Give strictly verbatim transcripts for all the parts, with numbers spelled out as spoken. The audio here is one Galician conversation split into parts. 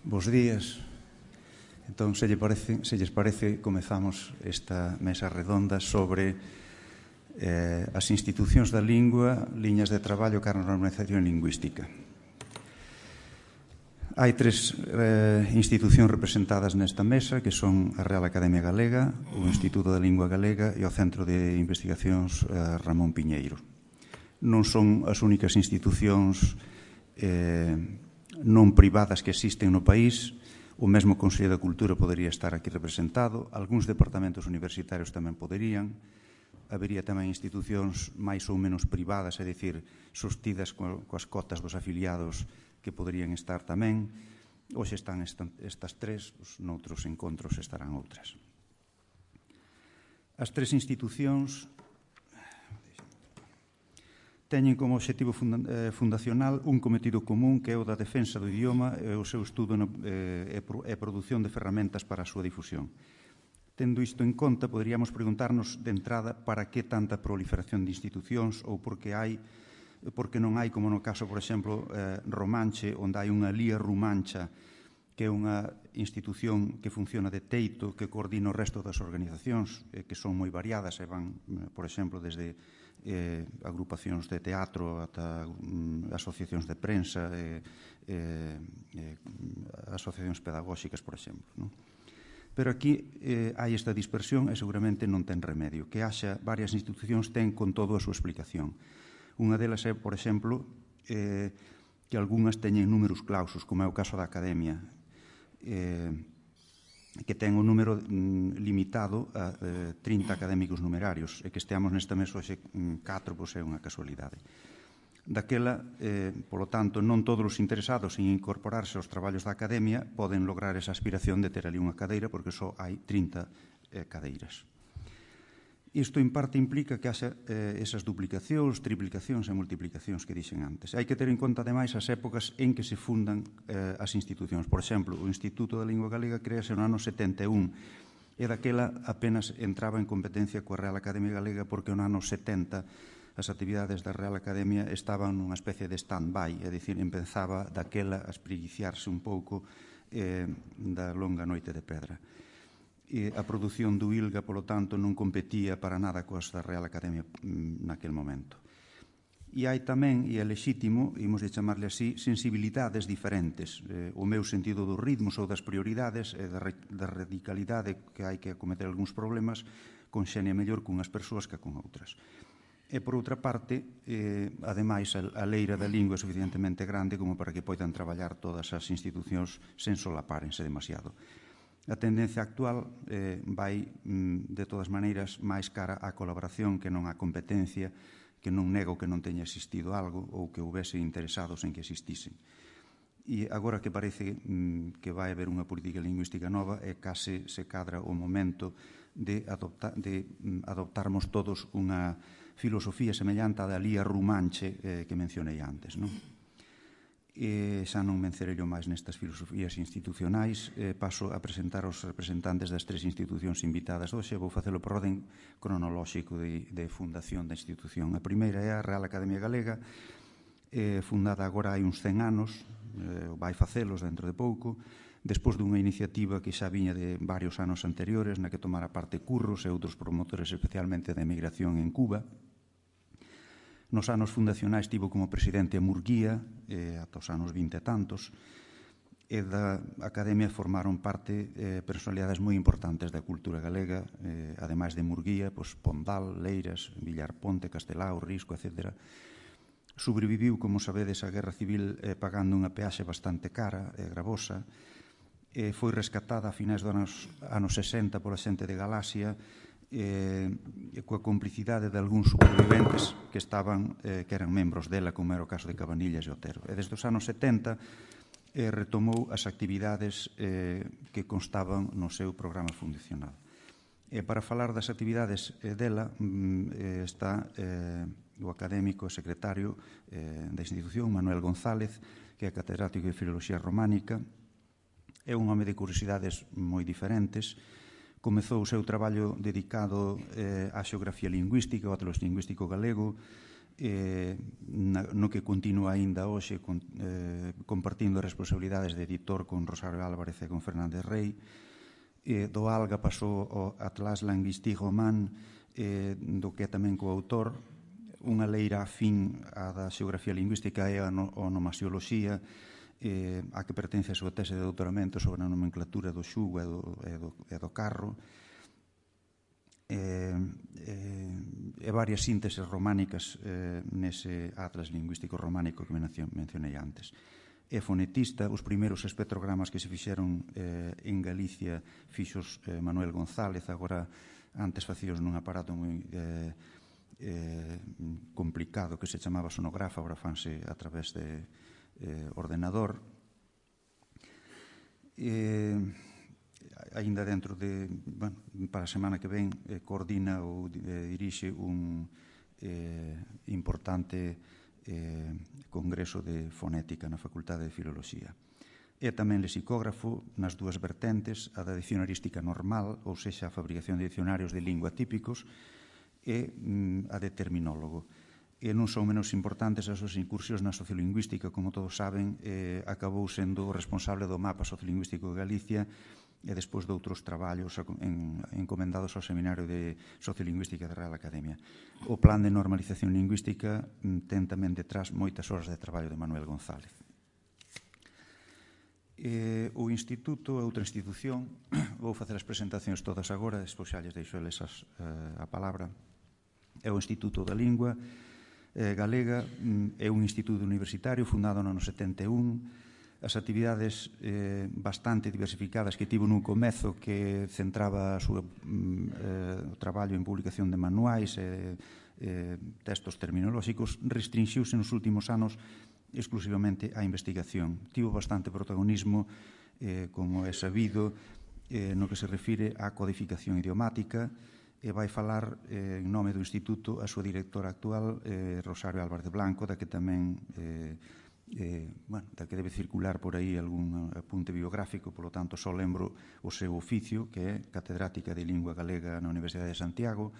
Bos días. Entón, se, lle parece, se lles parece, comezamos esta mesa redonda sobre eh, as institucións da lingua, liñas de traballo cara a normalización lingüística. Hai tres eh, institucións representadas nesta mesa, que son a Real Academia Galega, o Instituto da Lingua Galega e o Centro de Investigacións eh, Ramón Piñeiro. Non son as únicas institucións eh, non privadas que existen no país. O mesmo Consello da Cultura podería estar aquí representado, algúns departamentos universitarios tamén poderían, habería tamén institucións máis ou menos privadas, é dicir, sostidas coas cotas dos afiliados que poderían estar tamén. Hoxe están estas tres, os noutros encontros estarán outras. As tres institucións teñen como obxectivo fundacional un cometido común que é o da defensa do idioma e o seu estudo e produción de ferramentas para a súa difusión. Tendo isto en conta, poderíamos preguntarnos de entrada para que tanta proliferación de institucións ou porque hai, porque non hai, como no caso, por exemplo, Romanche, onde hai unha Lía Rumancha, que é unha institución que funciona de teito, que coordina o resto das organizacións, que son moi variadas e van, por exemplo, desde Eh, agrupacións de teatro ata um, asociacións de prensa e eh, eh, asociacións pedagóxicas, por exemplo, non? Pero aquí eh, hai esta dispersión e seguramente non ten remedio. Que haxa varias institucións ten con todo a súa explicación. Unha delas é, por exemplo, eh, que algunhas teñen números clausos, como é o caso da Academia, eh, que ten un número mm, limitado a eh, trinta académicos numerarios, e que esteamos nesta mesa hoxe catro, pois é unha casualidade. Daquela, eh, polo tanto, non todos os interesados en incorporarse aos traballos da Academia poden lograr esa aspiración de ter ali unha cadeira, porque só hai trinta eh, cadeiras. Isto, en parte, implica que haxa eh, esas duplicacións, triplicacións e multiplicacións que dixen antes. Hai que ter en conta, ademais, as épocas en que se fundan eh, as institucións. Por exemplo, o Instituto da Lingua Galega crease no ano setenta e un e daquela apenas entraba en competencia coa Real Academia Galega porque no ano setenta as actividades da Real Academia estaban nunha especie de stand-by, é dicir, empezaba daquela a espreguiciarse un pouco eh, da longa noite de pedra. E a produción do ILGA, polo tanto, non competía para nada coas da Real Academia naquel momento. E hai tamén, e é lexítimo, imos de chamarle así, sensibilidades diferentes. Eh, o meu sentido dos ritmos ou das prioridades e da, da radicalidade que hai que acometer algúns problemas conxenia mellor cunhas persoas que con outras. E, por outra parte, eh, ademais, a, a leira da lingua é suficientemente grande como para que poidan traballar todas as institucións sen solapárense demasiado. A tendencia actual eh, vai, de todas maneiras, máis cara á colaboración que non á competencia, que non nego que non teña existido algo ou que houvese interesados en que existisen. E agora que parece mm, que vai haber unha política lingüística nova, é case se cadra o momento de, adopta, de mm, adoptarmos todos unha filosofía semellante á da Lía Rumanche eh, que mencionei antes, non? E xa non mencerello máis nestas filosofías institucionais, eh, paso a presentar os representantes das tres institucións invitadas hoxe. Vou facelo por orden cronolóxico de, de fundación da institución. A primeira é a Real Academia Galega, eh, fundada agora hai uns cen anos, eh, vai facelos dentro de pouco, despois dunha iniciativa que xa viña de varios anos anteriores, na que tomara parte Curros e outros promotores, especialmente da emigración en Cuba. Nos anos fundacionais tivo como presidente a Murguía, eh, ata os anos vinte e tantos, e da Academia formaron parte eh, personalidades moi importantes da cultura galega, eh, ademais de Murguía, pues, Pondal, Leiras, Villarponte, Castelao, Risco, etcétera. Sobreviviu, como sabedes, a Guerra Civil eh, pagando unha peaxe bastante cara e gravosa, e foi rescatada a finais dos anos, anos sesenta pola xente de Galaxia, eh, coa complicidade de algúns superviventes que estaban eh, que eran membros dela, como era o caso de Cabanillas e Otero. E desde os anos setenta eh, retomou as actividades eh, que constaban no seu programa fundacional. E para falar das actividades eh, dela mm, está eh, o académico e secretario eh, da institución, Manuel González, que é catedrático de Filoloxía Románica. É un home de curiosidades moi diferentes. Comezou o seu traballo dedicado eh, á xeografía lingüística, ao atlas lingüístico galego, eh, na, no que continúa aínda hoxe con, eh, compartindo responsabilidades de editor con Rosario Álvarez e con Fernández Rey. Eh, do Alga pasou ao Atlas Linguistique Roman, eh, do que é tamén coautor, unha leira afín á da xeografía lingüística e a onomasioloxía, eh, a que pertence a súa tese de doutoramento sobre a nomenclatura do xugo e do, e do, e do carro, eh, eh, e varias sínteses románicas eh, nese Atlas Lingüístico Románico que mencionei antes. É fonetista, os primeiros espectrogramas que se fixeron eh, en Galicia fixos eh, Manuel González, agora antes facíos nun aparato moi eh, eh, complicado que se chamaba sonógrafo, agora fanse a través de eh, ordenador. Eh, aínda dentro de, bueno, para a semana que ven, eh, coordina ou eh, dirixe un eh, importante eh, congreso de fonética na Facultade de Filoloxía. É tamén lexicógrafo nas dúas vertentes, a da dicionarística normal, ou sexa, a fabricación de dicionarios de lingua típicos, e mm, a de terminólogo. E non son menos importantes as súas incursións na sociolingüística, como todos saben, eh, acabou sendo o responsable do mapa sociolingüístico de Galicia e despois de outros traballos en, encomendados ao Seminario de Sociolingüística da Real Academia. O plan de normalización lingüística mm, ten tamén detrás moitas horas de traballo de Manuel González. Eh, o Instituto é outra institución, vou facer as presentacións todas agora, despois xa lles deixo eles as, eh, a palabra. É o Instituto da Lingua eh, Galega, é un instituto universitario fundado no ano setenta e un, as actividades eh, bastante diversificadas que tivo nun comezo que centraba a súa, eh, o traballo en publicación de manuais e eh, textos terminolóxicos, restringiuse nos últimos anos exclusivamente á investigación. Tivo bastante protagonismo, eh, como é sabido, eh, no que se refire á codificación idiomática, e vai falar eh, en nome do Instituto a súa directora actual, eh, Rosario Álvarez Blanco, da que tamén eh, eh, bueno, da que debe circular por aí algún apunte biográfico, polo tanto só lembro o seu oficio, que é catedrática de Lingua Galega na Universidade de Santiago,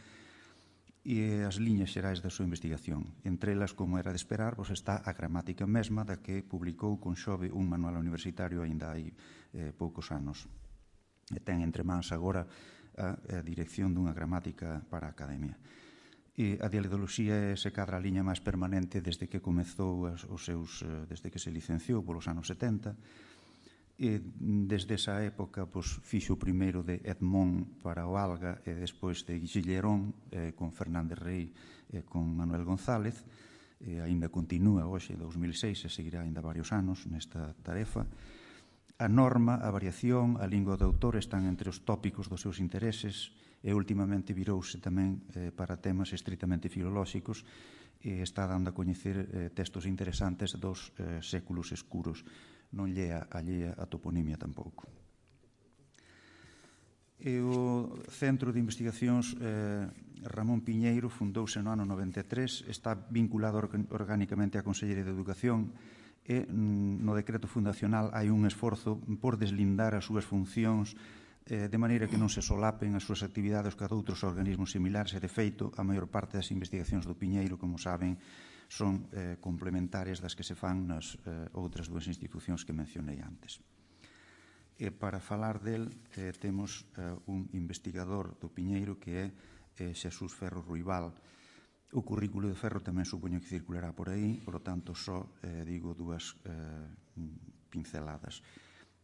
e as liñas xerais da súa investigación. Entre elas, como era de esperar, pois está a gramática mesma, da que publicou con Xove un manual universitario aínda hai eh, poucos anos. E ten entre mans agora a, a dirección dunha gramática para a academia. E a dialectoloxía se cadra a liña máis permanente desde que comezou as, os seus, desde que se licenciou polos anos setenta. E desde esa época pois, fixo o primeiro de Edmond para o Alga e despois de Guilleron eh, con Fernández Rey e con Manuel González. E aínda continúa hoxe, dous mil seis, e seguirá aínda varios anos nesta tarefa. A norma, a variación, a lingua do autor están entre os tópicos dos seus intereses e últimamente virouse tamén eh, para temas estritamente filolóxicos e está dando a coñecer eh, textos interesantes dos eh, séculos escuros. Non lle é allea a toponimia tampouco. E o Centro de Investigacións eh, Ramón Piñeiro fundouse no ano noventa e tres, está vinculado orgánicamente á Consellería de Educación e no decreto fundacional hai un esforzo por deslindar as súas funcións eh, de maneira que non se solapen as súas actividades ca outros organismos similares e, de feito, a maior parte das investigacións do Piñeiro, como saben, son eh, complementarias das que se fan nas eh, outras dúas institucións que mencionei antes. E para falar del eh, temos eh, un investigador do Piñeiro que é eh, Xesús Ferro Ruibal. O currículo de Ferro tamén supoño que circulará por aí, por lo tanto só eh, digo dúas eh, pinceladas.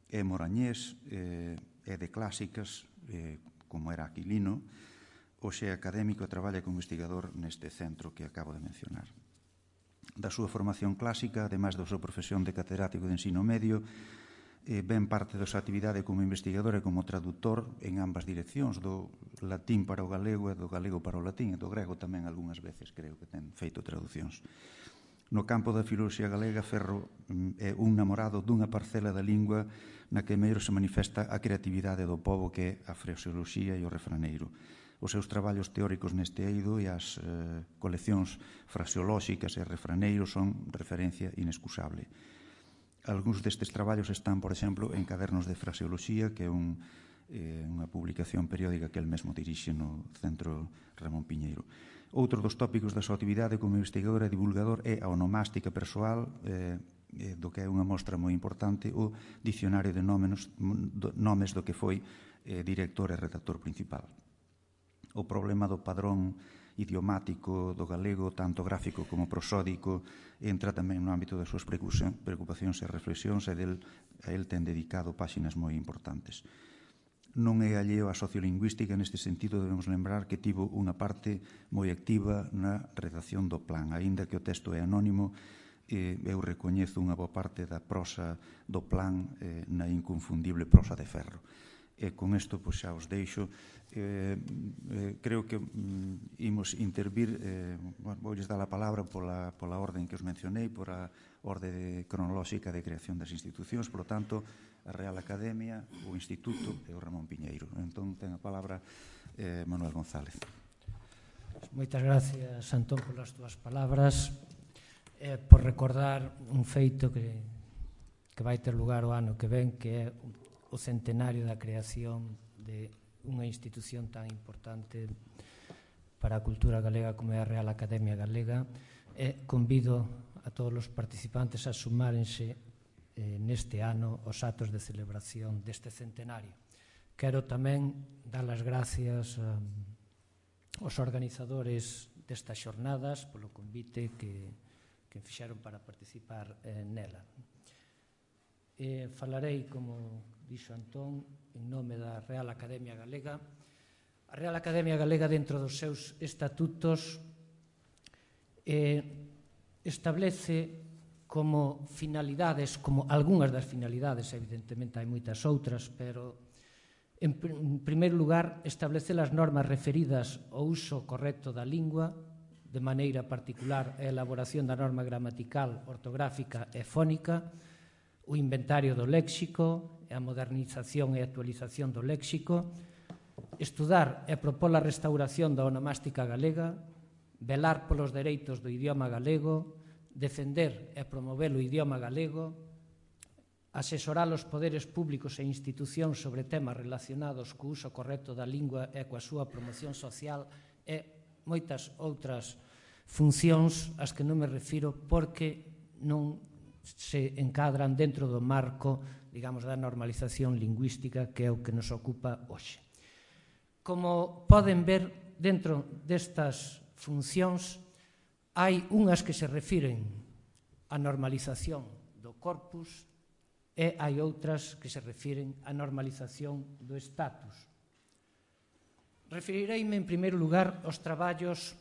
É morañés, eh, é de clásicas, eh, como era Aquilino, hoxe é académico e traballa como investigador neste centro que acabo de mencionar. Da súa formación clásica, ademais da súa profesión de catedrático de ensino medio, eh, ben parte da súa actividade como investigador e como traductor en ambas direccións, do latín para o galego e do galego para o latín, e do grego tamén algunhas veces creo que ten feito traducións. No campo da filoloxía galega, Ferro é un namorado dunha parcela da lingua na que mellor se manifesta a creatividade do pobo que é a fraseoloxía e o refraneiro. Os seus traballos teóricos neste eido e as eh, coleccións fraseolóxicas e refraneiros son referencia inexcusable. Algúns destes traballos están, por exemplo, en Cadernos de Fraseoloxía, que é un, eh, unha publicación periódica que el mesmo dirixe no Centro Ramón Piñeiro. Outro dos tópicos da súa actividade como investigador e divulgador é a onomástica persoal, eh, do que é unha mostra moi importante, o dicionario de nomes, nomes do que foi eh, director e redactor principal. O problema do padrón idiomático do galego, tanto gráfico como prosódico, entra tamén no ámbito das súas preocupacións e reflexións, e del, a el ten dedicado páxinas moi importantes. Non é alleo a sociolingüística, neste sentido debemos lembrar que tivo unha parte moi activa na redacción do plan, aínda que o texto é anónimo. Eu recoñezo unha boa parte da prosa do plan eh, na inconfundible prosa de Ferro. E con isto pois, xa os deixo. Eh, eh, creo que mm, imos intervir, eh, bueno, voulles dar a palabra pola, pola orden que os mencionei, por a orde cronolóxica de creación das institucións, por lo tanto, a Real Academia, o Instituto e o Ramón Piñeiro. Entón, ten a palabra eh, Manuel González. Moitas gracias, Antón, polas túas palabras. Eh, por recordar un feito que, que vai ter lugar o ano que ven, que é o centenario da creación de unha institución tan importante para a cultura galega como é a Real Academia Galega. E convido a todos os participantes a sumárense eh, neste ano os actos de celebración deste centenario. Quero tamén dar as gracias um, aos organizadores destas xornadas polo convite que que fixeron para participar eh, nela. Eh, falarei, como dixo Antón, en nome da Real Academia Galega. A Real Academia Galega, dentro dos seus estatutos, eh, establece como finalidades, como algunhas das finalidades, evidentemente hai moitas outras, pero en, pr en primeiro lugar establece as normas referidas ao uso correcto da lingua, de maneira particular a elaboración da norma gramatical, ortográfica e fónica, o inventario do léxico, a modernización e actualización do léxico, estudar e propor a restauración da onomástica galega, velar polos dereitos do idioma galego, defender e promover o idioma galego, asesorar os poderes públicos e institucións sobre temas relacionados co uso correcto da lingua e coa súa promoción social e moitas outras funcións ás que non me refiro porque non se encadran dentro do marco, digamos, da normalización lingüística que é o que nos ocupa hoxe. Como poden ver, dentro destas funcións hai unhas que se refiren á normalización do corpus e hai outras que se refiren á normalización do status. Referireime, en primeiro lugar, aos traballos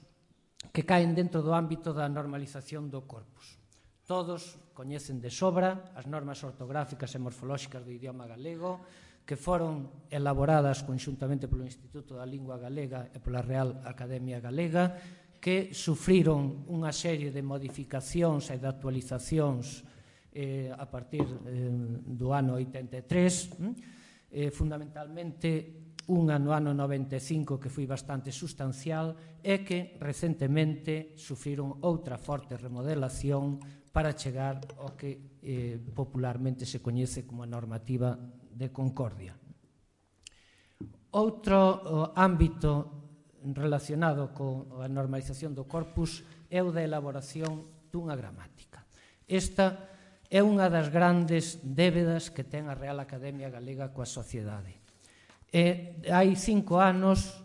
que caen dentro do ámbito da normalización do corpus. Todos coñecen de sobra as normas ortográficas e morfolóxicas do idioma galego, que foron elaboradas conxuntamente polo Instituto da Lingua Galega e pola Real Academia Galega, que sufriron unha serie de modificacións e de actualizacións eh, a partir eh, do ano oitenta e tres, eh, fundamentalmente unha no ano noventa e cinco que foi bastante sustancial e que recentemente sufriron outra forte remodelación para chegar ao que eh, popularmente se coñece como a normativa de Concordia. Outro oh, ámbito relacionado coa normalización do corpus é o da elaboración dunha gramática. Esta é unha das grandes débedas que ten a Real Academia Galega coa sociedade. E hai cinco anos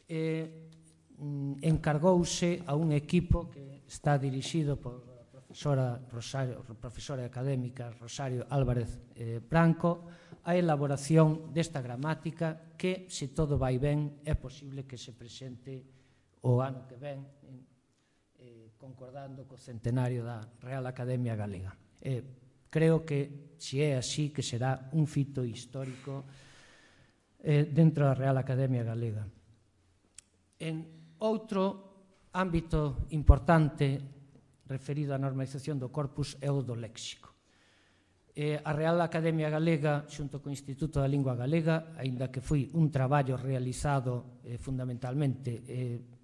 eh, encargouse a un equipo que está dirixido por a profesora, Rosario, profesora académica Rosario Álvarez eh, Branco a elaboración desta gramática que, se todo vai ben, é posible que se presente o ano que ven eh, concordando co centenario da Real Academia Galega. Eh, creo que, se é así, que será un fito histórico dentro da Real Academia Galega. En outro ámbito importante referido á normalización do corpus é o do léxico. A Real Academia Galega, xunto co Instituto da Lingua Galega, aínda que foi un traballo realizado fundamentalmente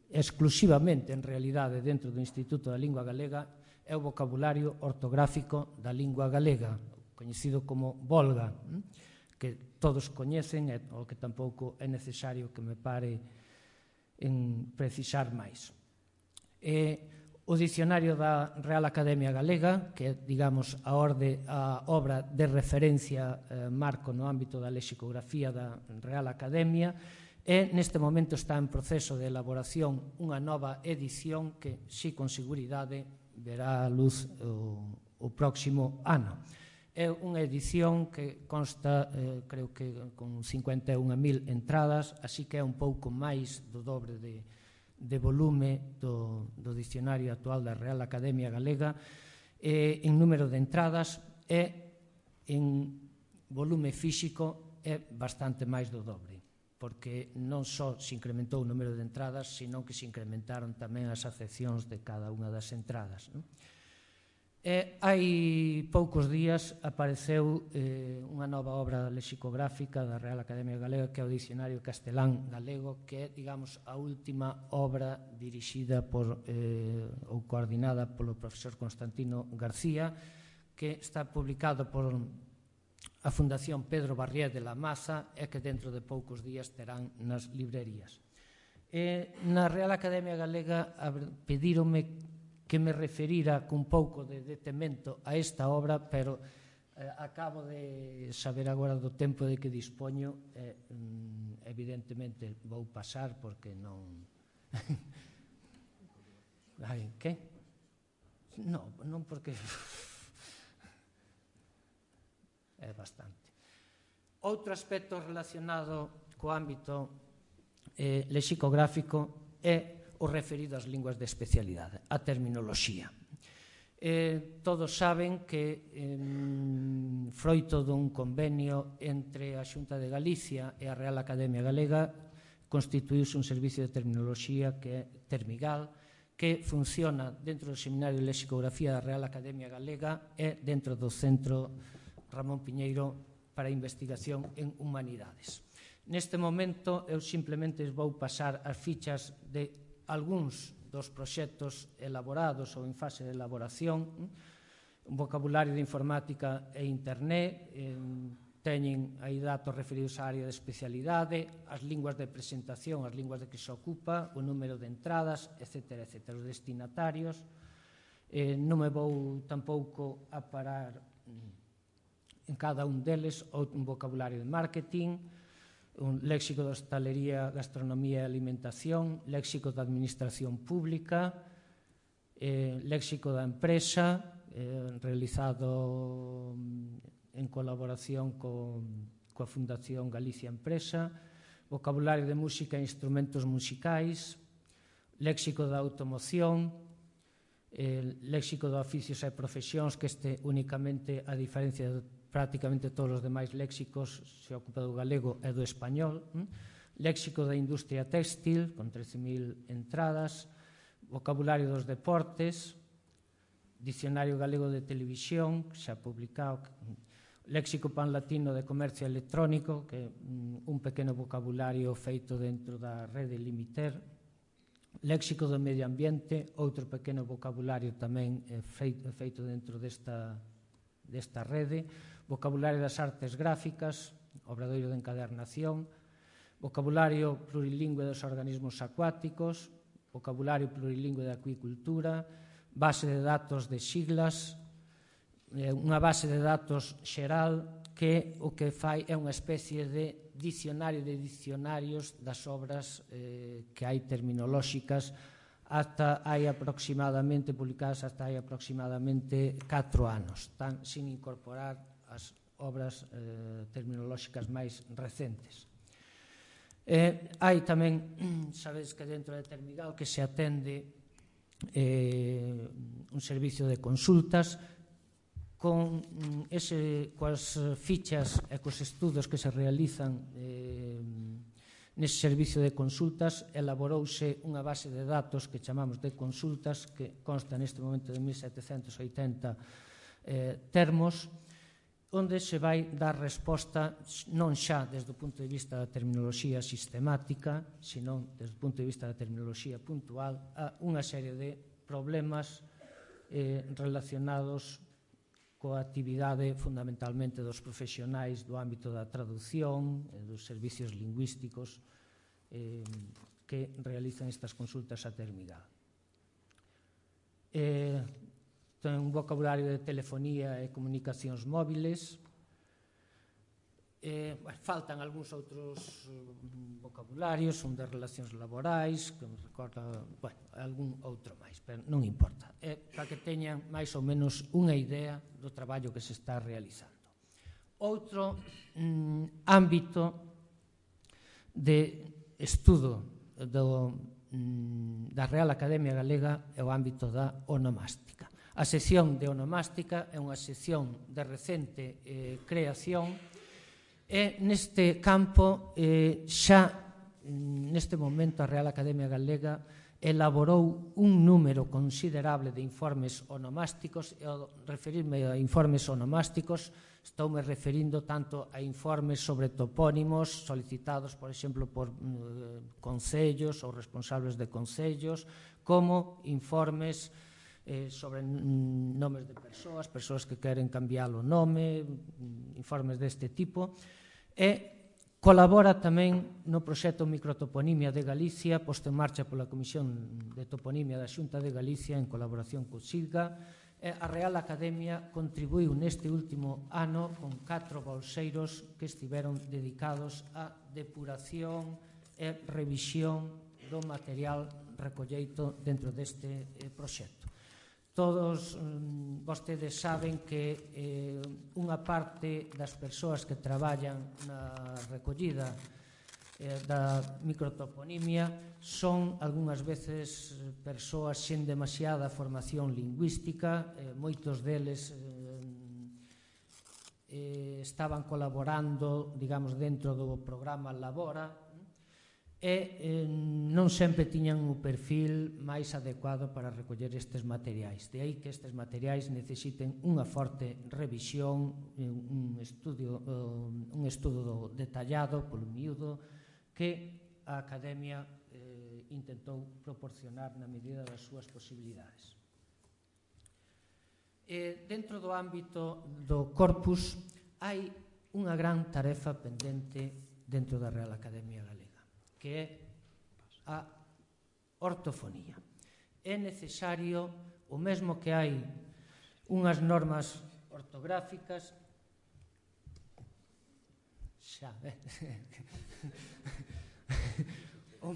exclusivamente, en realidade, dentro do Instituto da Lingua Galega, é o vocabulario ortográfico da lingua galega, coñecido como Volga, que todos coñecen e o que tampouco é necesario que me pare en precisar máis. E o Dicionario da Real Academia Galega, que é, digamos, a, orde, a obra de referencia eh, marco no ámbito da lexicografía da Real Academia, e neste momento está en proceso de elaboración unha nova edición que, si con seguridade, verá a luz o, o próximo ano. É unha edición que consta, eh, creo que con cincuenta e unha mil entradas, así que é un pouco máis do dobre de, de volume do, do dicionario actual da Real Academia Galega, eh, en número de entradas e en volume físico é bastante máis do dobre, porque non só se incrementou o número de entradas, sino que se incrementaron tamén as acepcións de cada unha das entradas. Non? E hai poucos días apareceu eh, unha nova obra lexicográfica da Real Academia Galega, que é o Dicionario Castelán Galego, que é, digamos, a última obra dirixida por, eh, ou coordinada polo profesor Constantino García, que está publicado por a Fundación Pedro Barrié de la Maza e que dentro de poucos días terán nas librerías. E na Real Academia Galega pedíronme que me referira cun pouco de detemento a esta obra, pero eh, acabo de saber agora do tempo de que dispoño, e, eh, evidentemente vou pasar porque non... Ai, que? Non, non porque... é bastante. Outro aspecto relacionado co ámbito eh, lexicográfico é o referido ás linguas de especialidade, a terminoloxía. Eh, todos saben que eh, froito dun convenio entre a Xunta de Galicia e a Real Academia Galega constituíuse un servicio de terminoloxía que é Termigal, que funciona dentro do Seminario de Lexicografía da Real Academia Galega e dentro do Centro Ramón Piñeiro para Investigación en Humanidades. Neste momento, eu simplemente vou pasar as fichas de algúns dos proxectos elaborados ou en fase de elaboración, un vocabulario de informática e internet, teñen aí datos referidos á área de especialidade, as linguas de presentación, as linguas de que se ocupa, o número de entradas, etcétera, etcétera, os destinatarios. Non me vou tampouco a parar en cada un deles, un vocabulario de marketing, un léxico de hostalería, gastronomía e alimentación, léxico da administración pública, eh, léxico da empresa, eh, realizado en colaboración con, coa Fundación Galicia Empresa, vocabulario de música e instrumentos musicais, léxico da automoción, eh, léxico de oficios e profesións, que este únicamente, a diferencia de prácticamente todos os demais léxicos, se ocupa do galego e do español, léxico da industria téxtil, con trece mil entradas, vocabulario dos deportes, dicionario galego de televisión, xa publicado, léxico panlatino de comercio electrónico, que é un pequeno vocabulario feito dentro da rede Limiter, léxico do medio ambiente, outro pequeno vocabulario tamén feito dentro desta, desta rede, vocabulario das artes gráficas, obradoiro de encadernación, vocabulario plurilingüe dos organismos acuáticos, vocabulario plurilingüe de acuicultura, base de datos de siglas, unha base de datos xeral que o que fai é unha especie de dicionario de dicionarios das obras eh, que hai terminolóxicas hasta hai aproximadamente, publicadas hasta hai aproximadamente catro anos, tan sin incorporar as obras eh, terminolóxicas máis recentes. Eh, hai tamén, sabedes que dentro de Termigal que se atende eh, un servicio de consultas con ese, coas fichas e cos estudos que se realizan eh, nese servicio de consultas, elaborouse unha base de datos que chamamos de consultas, que consta neste momento de mil setecentos oitenta eh, termos, onde se vai dar resposta non xa desde o punto de vista da terminoloxía sistemática, sino desde o punto de vista da terminoloxía puntual, a unha serie de problemas eh, relacionados coa actividade fundamentalmente dos profesionais do ámbito da traducción, e dos servicios lingüísticos eh, que realizan estas consultas a Termigal. eh, ten un vocabulario de telefonía e comunicacións móviles. Eh, bueno, faltan algúns outros uh, vocabularios, un de relacións laborais, que me recorda, bueno, algún outro máis, pero non importa. É para que teñan máis ou menos unha idea do traballo que se está realizando. Outro mm, ámbito de estudo do, mm, da Real Academia Galega é o ámbito da onomástica. A sección de onomástica é unha sección de recente eh, creación. E neste campo, eh, xa neste momento a Real Academia Galega elaborou un número considerable de informes onomásticos, e ao referirme a informes onomásticos estou me referindo tanto a informes sobre topónimos solicitados, por exemplo, por eh, concellos ou responsables de concellos, como informes Eh, sobre nomes de persoas, persoas que queren cambiar o nome, informes deste tipo, e colabora tamén no proxecto Microtoponimia de Galicia, posto en marcha pola Comisión de Toponimia da Xunta de Galicia en colaboración co SIGA. E a Real Academia contribuiu neste último ano con catro bolseiros que estiveron dedicados á depuración e revisión do material recolleito dentro deste eh, proxecto. Todos mm, vostedes saben que eh, unha parte das persoas que traballan na recollida eh, da microtoponimia son algunhas veces persoas sen demasiada formación lingüística, eh, moitos deles eh, eh, estaban colaborando, digamos, dentro do programa Labora, e eh, non sempre tiñan o perfil máis adecuado para recoller estes materiais. De aí que estes materiais necesiten unha forte revisión, un estudio, un estudo detallado polo miúdo que a Academia eh, intentou proporcionar na medida das súas posibilidades. E dentro do ámbito do corpus hai unha gran tarefa pendente dentro da Real Academia Galega, que é a ortofonía. É necesario, o mesmo que hai unhas normas ortográficas, xa, eh? o,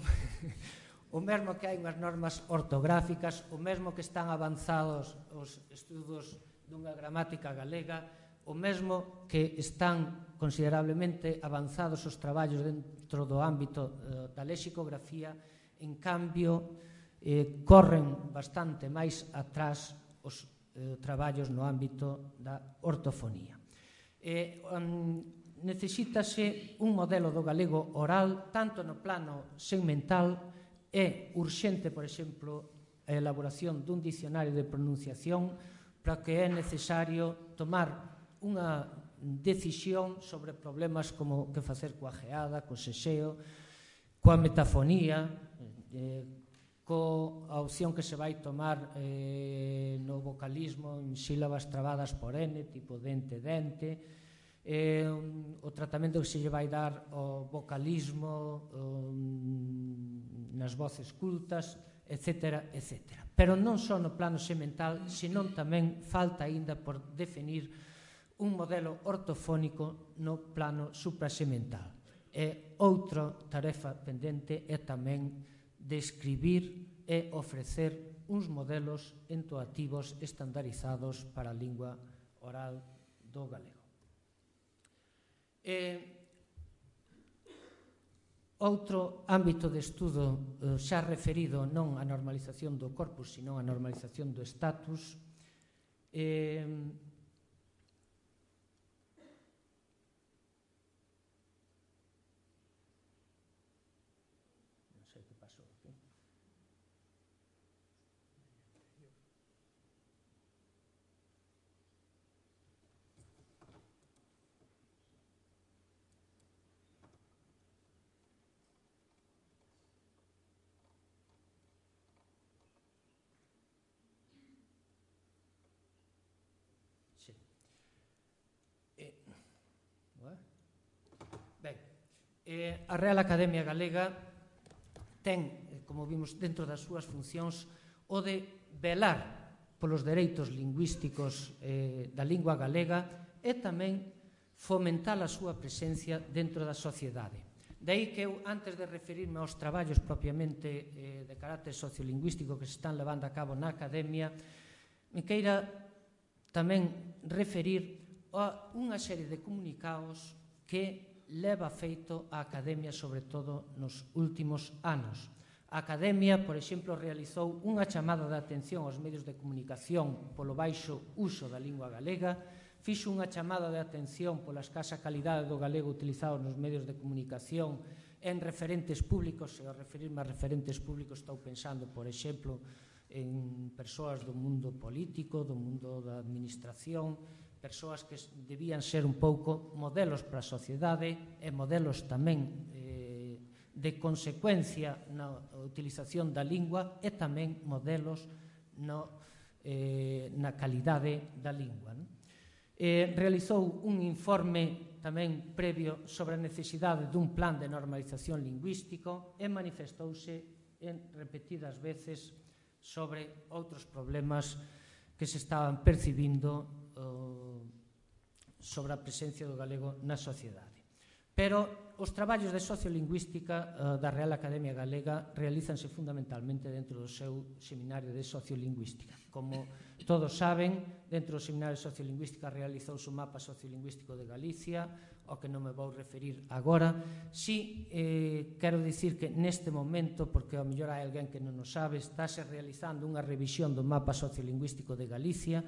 o mesmo que hai unhas normas ortográficas, o mesmo que están avanzados os estudos dunha gramática galega, o mesmo que están considerablemente avanzados os traballos dentro do ámbito eh, da lexicografía, en cambio, eh, corren bastante máis atrás os eh, traballos no ámbito da ortofonía. Eh, um, necesítase un modelo do galego oral, tanto no plano segmental, é urxente, por exemplo, a elaboración dun dicionario de pronunciación, para que é necesario tomar unha decisión sobre problemas como que facer coa geada, co sexeo, coa metafonía, eh, coa opción que se vai tomar eh, no vocalismo en sílabas trabadas por N, tipo dente-dente, eh, o tratamento que se lle vai dar ao vocalismo um, nas voces cultas, etcétera, etcétera. Pero non só no plano semental, senón tamén falta aínda por definir un modelo ortofónico no plano suprasemental. E outra tarefa pendente é tamén describir e ofrecer uns modelos entoativos estandarizados para a lingua oral do galego. E outro ámbito de estudo xa referido non á normalización do corpus, sino á normalización do status, e Eh, a Real Academia Galega ten, como vimos dentro das súas funcións, o de velar polos dereitos lingüísticos eh, da lingua galega e tamén fomentar a súa presencia dentro da sociedade. De aí que eu, antes de referirme aos traballos propiamente eh, de carácter sociolingüístico que se están levando a cabo na academia, me queira tamén referir a unha serie de comunicados que leva feito a academia, sobre todo nos últimos anos. A academia, por exemplo, realizou unha chamada de atención aos medios de comunicación polo baixo uso da lingua galega, fixo unha chamada de atención pola escasa calidade do galego utilizado nos medios de comunicación en referentes públicos, e ao referirme a referentes públicos estou pensando, por exemplo, en persoas do mundo político, do mundo da administración, persoas que debían ser un pouco modelos para a sociedade e modelos tamén eh, de consecuencia na utilización da lingua e tamén modelos no, eh, na calidade da lingua. Non? Eh, realizou un informe tamén previo sobre a necesidade dun plan de normalización lingüístico e manifestouse en repetidas veces sobre outros problemas que se estaban percibindo uh, sobre a presencia do galego na sociedade. Pero os traballos de sociolingüística uh, da Real Academia Galega realízanse fundamentalmente dentro do seu seminario de sociolingüística. Como todos saben, dentro do seminario de sociolingüística realizouse un mapa sociolingüístico de Galicia, ao que non me vou referir agora. Si, eh, quero dicir que neste momento, porque ao mellor hai alguén que non o sabe, estáse realizando unha revisión do mapa sociolingüístico de Galicia,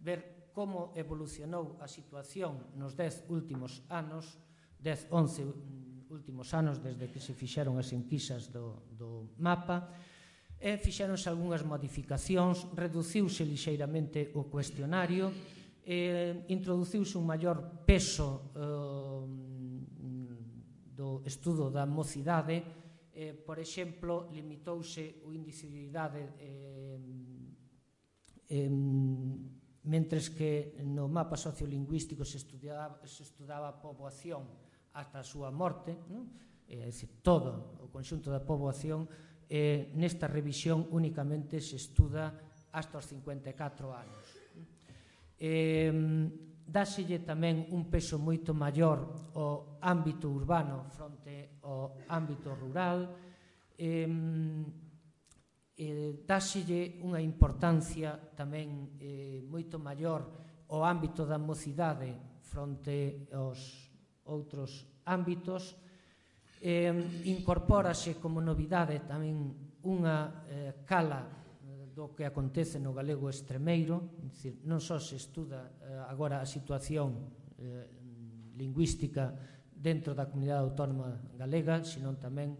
ver como evolucionou a situación nos dez últimos anos, dez, once últimos anos desde que se fixeron as enquisas do, do mapa, e fixeronse algunhas modificacións, reduciuse lixeiramente o cuestionario, e introduciuse un maior peso eh, do estudo da mocidade, eh, por exemplo, limitouse o índice de idade eh, eh, mentres que no mapa sociolingüístico se estudaba, se estudaba a poboación ata a súa morte, non? É dicir, todo o conxunto da poboación, eh, nesta revisión únicamente se estuda hasta os cincuenta e catro anos. Eh, dáselle tamén un peso moito maior ao ámbito urbano fronte ao ámbito rural, eh, eh, dáselle unha importancia tamén eh, moito maior ao ámbito da mocidade fronte aos outros ámbitos. Eh, incorpórase como novidade tamén unha eh, cala do que acontece no galego extremeiro, é dicir, non só se estuda eh, agora a situación eh, lingüística dentro da comunidade autónoma galega, sino tamén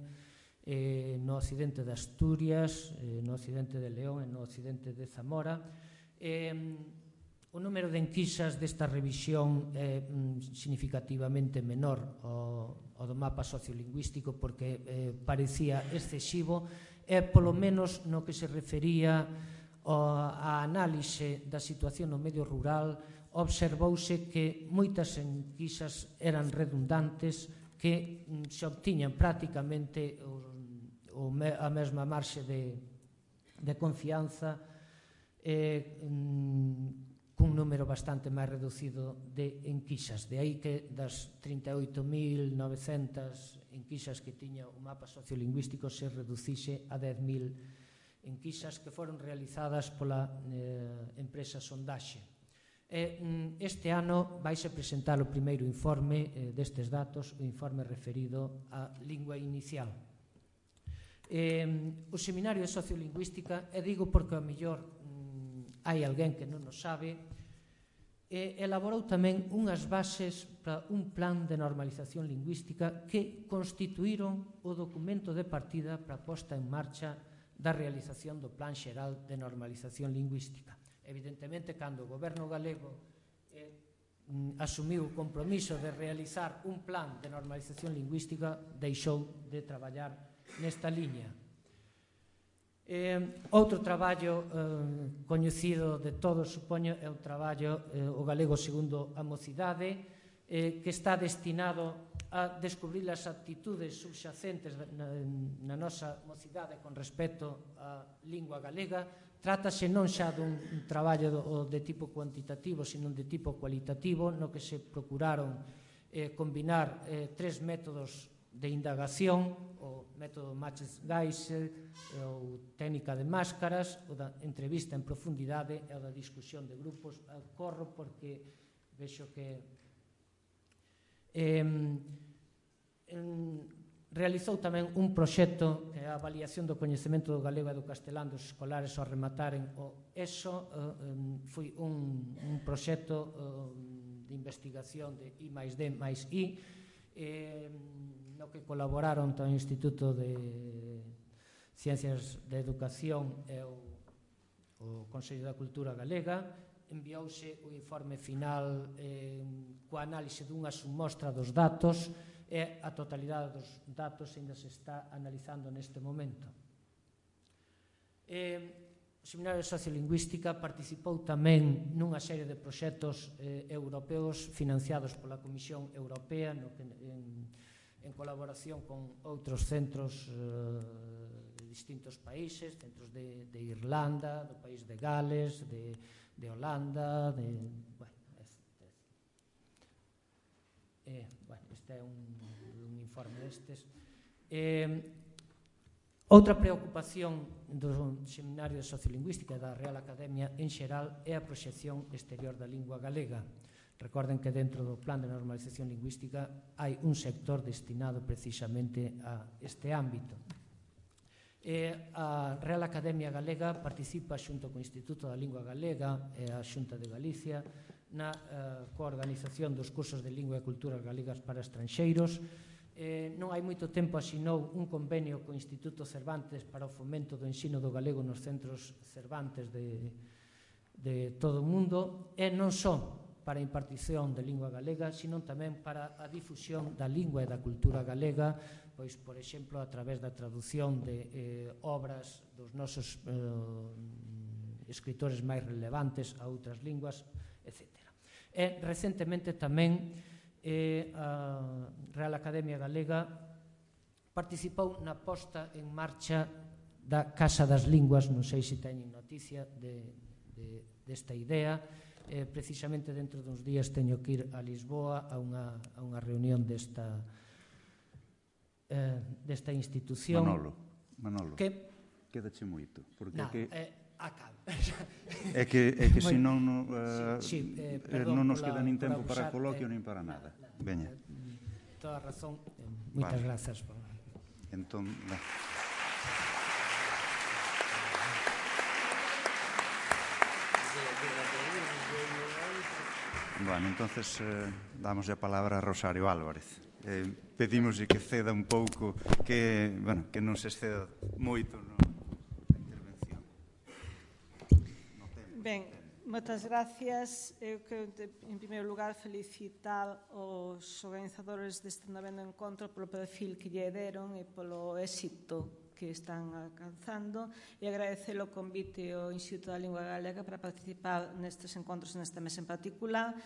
eh, no occidente de Asturias, eh, no occidente de León e no occidente de Zamora. Eh, O número de enquisas desta revisión é mm, significativamente menor ao, ao do mapa sociolingüístico, porque eh, parecía excesivo, e polo menos no que se refería á análise da situación no medio rural, observouse que moitas enquisas eran redundantes, que mm, se obtiñan prácticamente o, o, a mesma marxe de, de confianza, eh, mm, cun número bastante máis reducido de enquisas. De aí que das trinta e oito mil novecentas enquisas que tiña o mapa sociolingüístico se reducise a dez mil enquisas que foron realizadas pola eh, empresa Sondaxe. E, este ano vaise presentar o primeiro informe eh, destes datos, o informe referido á lingua inicial. Eh, o seminario de sociolingüística, e digo porque ao mellor hai alguén que non o sabe, e elaborou tamén unhas bases para un plan de normalización lingüística que constituíron o documento de partida para a posta en marcha da realización do Plan Xeral de Normalización Lingüística. Evidentemente, cando o goberno galego eh, asumiu o compromiso de realizar un plan de normalización lingüística, deixou de traballar nesta liña. Eh, outro traballo eh, coñecido de todos, supoño, é o traballo eh, o galego segundo a mocidade, eh, que está destinado a descubrir as actitudes subxacentes na, na nosa mocidade con respecto á lingua galega, trátase non xa dun traballo de tipo cuantitativo, sino de tipo cualitativo, no que se procuraron combinar tres métodos de indagación, o método Matches-Geisel, ou técnica de máscaras, o da entrevista en profundidade e o da discusión de grupos. Corro porque vexo que realizou tamén un proxecto que é a avaliación do coñecemento do galego e do castelán dos escolares ao remataren o ESO. Foi un proxecto de investigación de I máis D máis I, no que colaboraron o Instituto de Ciencias de Educación e o Consello da Cultura Galega. Enviouse o informe final coa análise dunha submostra dos datos, e a totalidade dos datos ainda se está analizando neste momento. O Seminario de Sociolingüística participou tamén nunha serie de proxectos europeos financiados pola Comisión Europea en colaboración con outros centros de distintos países, centros de Irlanda, do país de Gales, de Holanda, de... Bueno, este é un informe destes. Outra preocupación do Seminario de Sociolingüística e da Real Academia en xeral é a proxección exterior da lingua galega. Recorden que dentro do Plan de Normalización Lingüística hai un sector destinado precisamente a este ámbito. A Real Academia Galega participa xunto co Instituto da Lingua Galega e a Xunta de Galicia na coorganización dos cursos de lingua e culturas galegas para estranxeiros. Non hai moito tempo asinou un convenio co Instituto Cervantes para o fomento do ensino do galego nos centros Cervantes de todo o mundo, e non só para a impartición de lingua galega, sino tamén para a difusión da lingua e da cultura galega, pois, por exemplo, a través da traducción de obras dos nosos escritores máis relevantes a outras linguas, etcétera. E, recentemente, tamén a Real Academia Galega participou na posta en marcha da Casa das Linguas. Non sei se teñen noticia desta idea. Precisamente dentro duns días teño que ir a Lisboa a unha reunión desta desta institución. Manolo, Manolo, quédache moito. Non, acabo. É que senón non nos queda nin tempo para coloquio nin para nada. Veña. Toda a razón. Moitas grazas. Entón... Bueno, entonces damos a palabra a Rosario Álvarez. Pedimos que ceda un pouco, que non se exceda moito na intervención. Ben, moitas gracias. Eu quero, en primeiro lugar, felicitar os organizadores deste noveno encontro polo perfil que lle deron e polo éxito que están alcanzando, e agradecer o convite ao Instituto da Lingua Galega para participar nestes encontros nesta mesa en particular.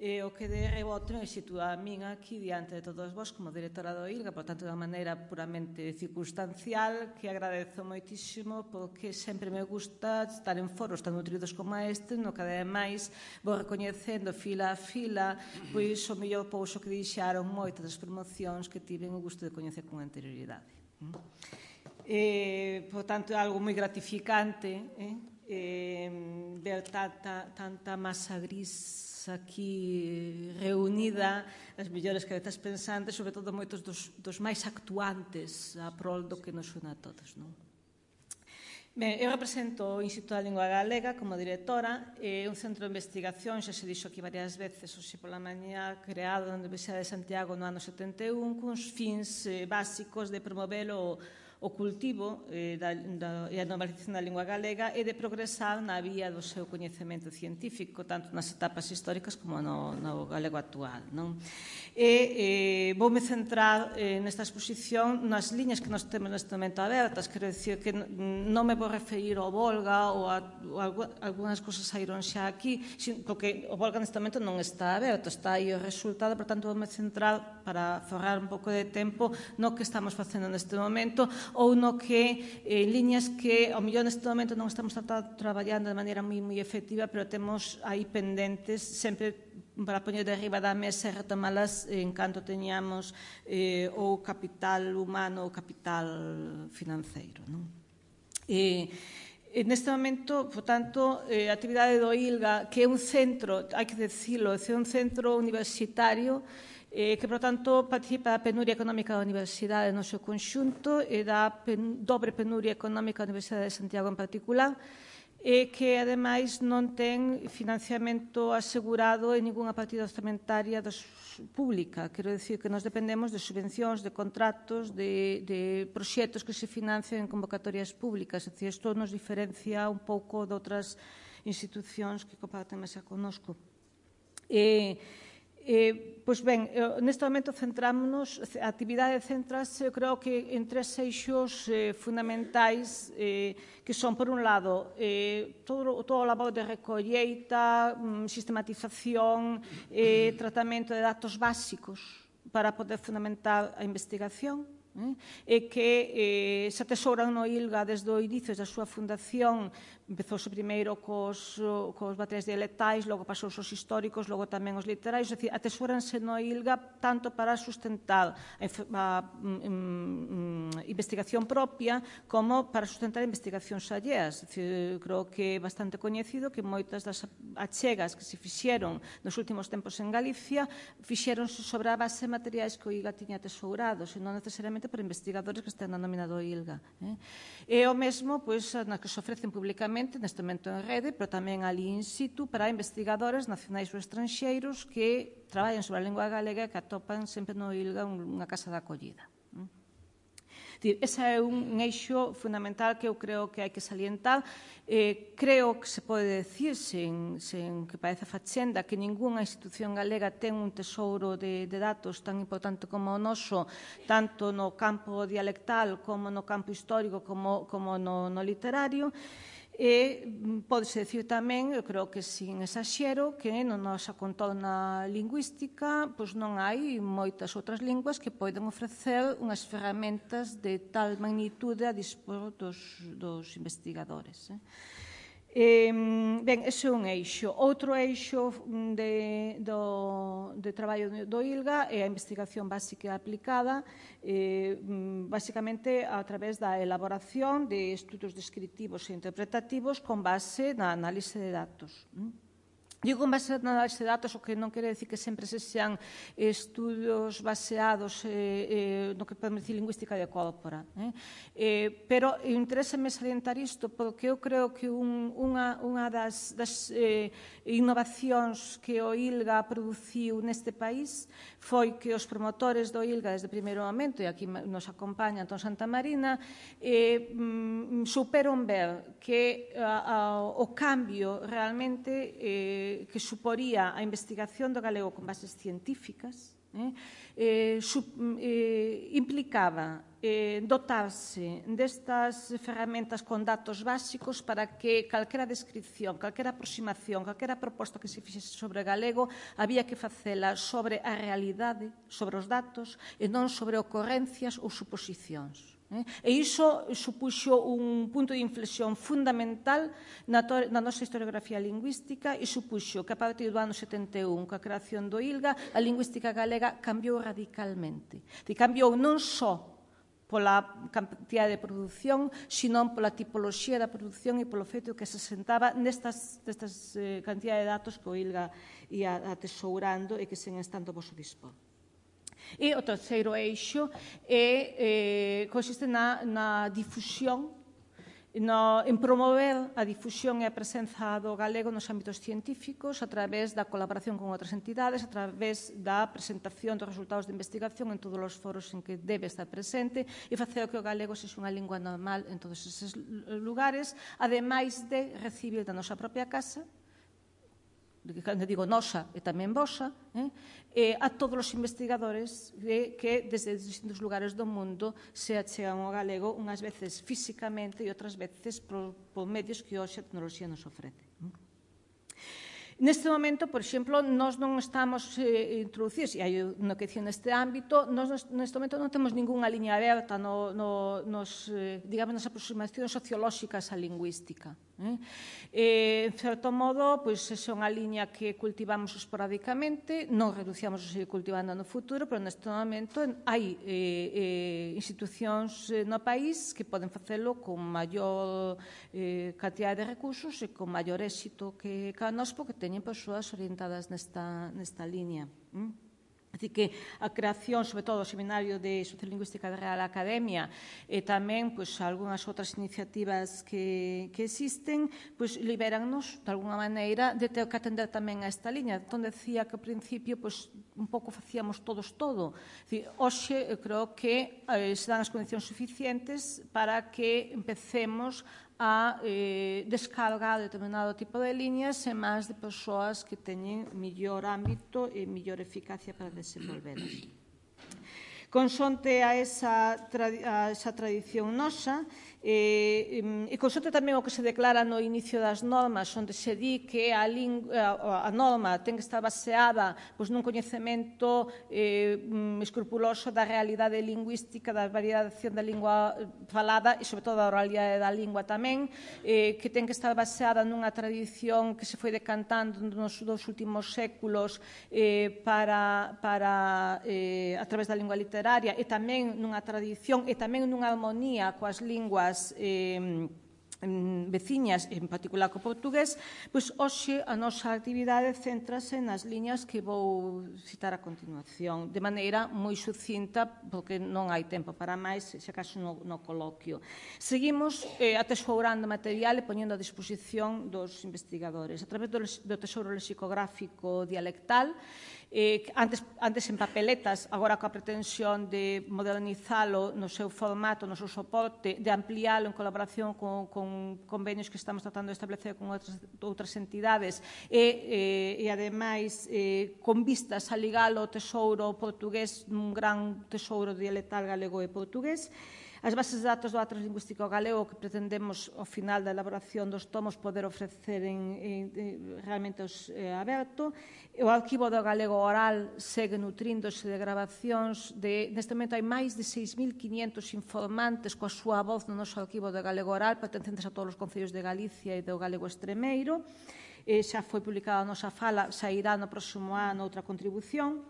O que de rebote nos sitúa a min aquí diante de todos vós como directora do I L G A, por tanto, de unha maneira puramente circunstancial, que agradezo moitísimo, porque sempre me gusta estar en foros tan nutridos como este, no que ademais vou recoñecendo fila a fila pois o mellor pouso que deixaron moitas das promocións que tiven o gusto de coñecer con anterioridade. Por tanto, é algo moi gratificante ver tanta masa gris aquí reunida, as mellores cabezas pensantes, sobre todo moitos dos máis actuantes a prol do que nos une a todos. Ben, eu represento o Instituto da Lingua Galega como directora, é un centro de investigación, xa se dixo aquí varias veces, hoxe pola mañá, creado na Universidade de Santiago no ano setenta e un, cuns fins básicos de promover o o cultivo e a normalización da lingua galega e de progresar na vía do seu coñecemento científico, tanto nas etapas históricas como no galego actual. E voume centrar nesta exposición nas liñas que nos temos neste momento abertas. Quero dicir que non me vou referir ao Volga ou a algunhas cosas saíron xa aquí, porque o Volga neste momento non está aberto, está aí o resultado, por tanto voume centrar para forrar un pouco de tempo no que estamos facendo neste momento, ou no que en liñas que ao mellor neste momento non estamos traballando de maneira moi moi efectiva, pero temos aí pendentes sempre para poñer de arriba da mesa e retomalas en canto teñamos eh, o capital humano ou capital financeiro. Non? E, e neste momento, por tanto, a actividade do I L G A, que é un centro, hai que decirlo, é un centro universitario eh, que, por tanto, participa da penuria económica da Universidade no seu conxunto e da pen, dobre penuria económica da Universidade de Santiago en particular, e que, ademais, non ten financiamento asegurado en ninguna partida orzamentaria pública. Quero dicir que nos dependemos de subvencións, de contratos, de, de proxectos que se financian en convocatorias públicas. É dicir, isto nos diferencia un pouco de outras institucións que comparten mesa connosco. E, Eh, pois ben, neste momento centrámonos, a actividade centrase, eu creo que en tres eixos eh, fundamentais eh, que son, por un lado, eh, todo, todo o labor de recolleita, mm, sistematización, eh, tratamento de datos básicos para poder fundamentar a investigación, eh, e que eh, se atesouran no I L G A desde o inicio da súa fundación. Empezouse primeiro cos, cos materiais dialectais, logo pasou os históricos, logo tamén os literais, é dicir, atesóranse no I L G A tanto para sustentar a, a um, um, investigación propia como para sustentar investigacións alleas. É dicir, creo que é bastante coñecido que moitas das achegas que se fixeron nos últimos tempos en Galicia fixéronse sobre a base de materiais que o I L G A tiña atesourados, e non necesariamente por investigadores que estén na nómina do I L G A. Eh? E o mesmo, pois, nas que se ofrecen públicamente neste momento en rede, pero tamén ali in situ para investigadores nacionais ou estranxeiros que traballan sobre a lingua galega e que atopan sempre no I L G A unha casa de acollida. Ese é un eixo fundamental que eu creo que hai que salientar. Eh, creo que se pode decir, sen, sen que parece fachenda, que ningunha institución galega ten un tesouro de, de datos tan importante como o noso, tanto no campo dialectal como no campo histórico como, como no, no literario. E pódese dicir tamén, eu creo que sin exaxero, que na nosa contorna lingüística pois non hai moitas outras linguas que poden ofrecer unhas ferramentas de tal magnitude a dispor dos, dos investigadores. Eh? Eh, ben, ese é un eixo. Outro eixo de, do, de traballo do I L G A é a investigación básica e aplicada, eh, basicamente a través da elaboración de estudos descriptivos e interpretativos con base na análise de datos. Digo en base na análise de datos, o que non quere decir que sempre se sean estudos baseados eh, eh, no que podemos dicir lingüística de corpora. Eh? Eh, pero interésame salientar isto porque eu creo que un, unha, unha das, das eh, innovacións que o I L G A produciu neste país foi que os promotores do I L G A desde o primeiro momento, e aquí nos acompaña Antón Santamarina, eh, mm, superon ver que a, a, o cambio realmente eh, que suporía a investigación do galego con bases científicas, eh, eh, sub, eh, implicaba eh, dotarse destas ferramentas con datos básicos para que calquera descripción, calquera aproximación, calquera proposta que se fixese sobre galego había que facela sobre a realidade, sobre os datos e non sobre ocorrencias ou suposicións. E iso supuxo un punto de inflexión fundamental na, na nosa historiografía lingüística e supuxo que a partir do ano setenta e un, coa creación do I L G A, a lingüística galega cambiou radicalmente. E cambiou non só pola cantidade de produción, senón pola tipoloxía da produción e polo feito que se sentaba nestas, nestas eh, cantidade de datos que o I L G A ia atesourando e que sen estando vos o dispor. E o terceiro eixo é, eh, consiste na, na difusión, no, en promover a difusión e a presenza do galego nos ámbitos científicos a través da colaboración con outras entidades, a través da presentación dos resultados de investigación en todos os foros en que debe estar presente e facer que o galego sexa unha lingua normal en todos eses lugares, ademais de recibir da nosa propia casa, cando digo nosa e tamén vosa, eh, eh, a todos os investigadores que, que desde distintos lugares do mundo se achegan ao galego, unhas veces físicamente e outras veces por, por medios que hoxe a tecnoloxía nos ofrece. Neste momento, por exemplo, nós non estamos eh, introducidos, e hai unha questión neste ámbito, nós neste momento non temos ninguna liña aberta no, no, nos, eh, digamos, nas aproximacións sociolóxicas á lingüística. Eh? Eh, en certo modo, pois, é unha liña que cultivamos esporádicamente, non reduciamos a seguir cultivando no futuro, pero neste momento hai eh, eh, institucións eh, no país que poden facelo con maior eh, cantidad de recursos e con maior éxito que cada nós, porque teñen persoas orientadas nesta, nesta liña. Mm? Así que a creación, sobre todo, do Seminario de Sociolingüística da Real Academia e tamén pois, algunhas outras iniciativas que, que existen, pois, liberan-nos, de alguna maneira, de ter que atender tamén a esta liña. Entón, decía que, ao principio, pois, un pouco facíamos todos todo. Dicir, hoxe, eu creo que eh, se dan as condicións suficientes para que empecemos a eh, descargar determinado tipo de líneas e máis de persoas que teñen mellor ámbito e mellor eficacia para desenvolvelas. Consonte a esa, a esa tradición nosa, e, e consonte tamén o que se declara no inicio das normas, onde se di que a, a, a norma ten que estar baseada pois, nun coñecemento eh, escrupuloso da realidade lingüística, da variación da lingua falada e, sobre todo, da oralidade da lingua tamén, eh, que ten que estar baseada nunha tradición que se foi decantando nos dos últimos séculos eh, para, para eh, a través da lingua literaria e tamén nunha tradición e tamén nunha armonía coas linguas eh, veciñas, en particular co portugués, pois hoxe a nosa actividade céntrase nas liñas que vou citar a continuación, de maneira moi sucinta, porque non hai tempo para máis, se acaso no, no coloquio. Seguimos eh, atesourando material e poñendo a disposición dos investigadores, a través do, do tesouro lexicográfico dialectal, Eh, antes, antes en papeletas, agora coa pretensión de modernizalo no seu formato, no seu soporte, de ampliálo en colaboración con, con convenios que estamos tratando de establecer con outras, outras entidades e, eh, e ademais, eh, con vistas a ligalo ao tesouro portugués, un gran tesouro dialectal galego e portugués. As bases de datos do Atlas Lingüístico Galego que pretendemos, ao final da elaboración dos tomos, poder ofrecer en, en, en, realmente os, eh, aberto. O arquivo do galego oral segue nutríndose de grabacións. De, neste momento hai máis de seis mil quinientos informantes coa súa voz no noso arquivo do galego oral, pertencentes a todos os concellos de Galicia e do galego extremeiro. Eh, xa foi publicada a nosa fala, sairá no próximo ano outra contribución.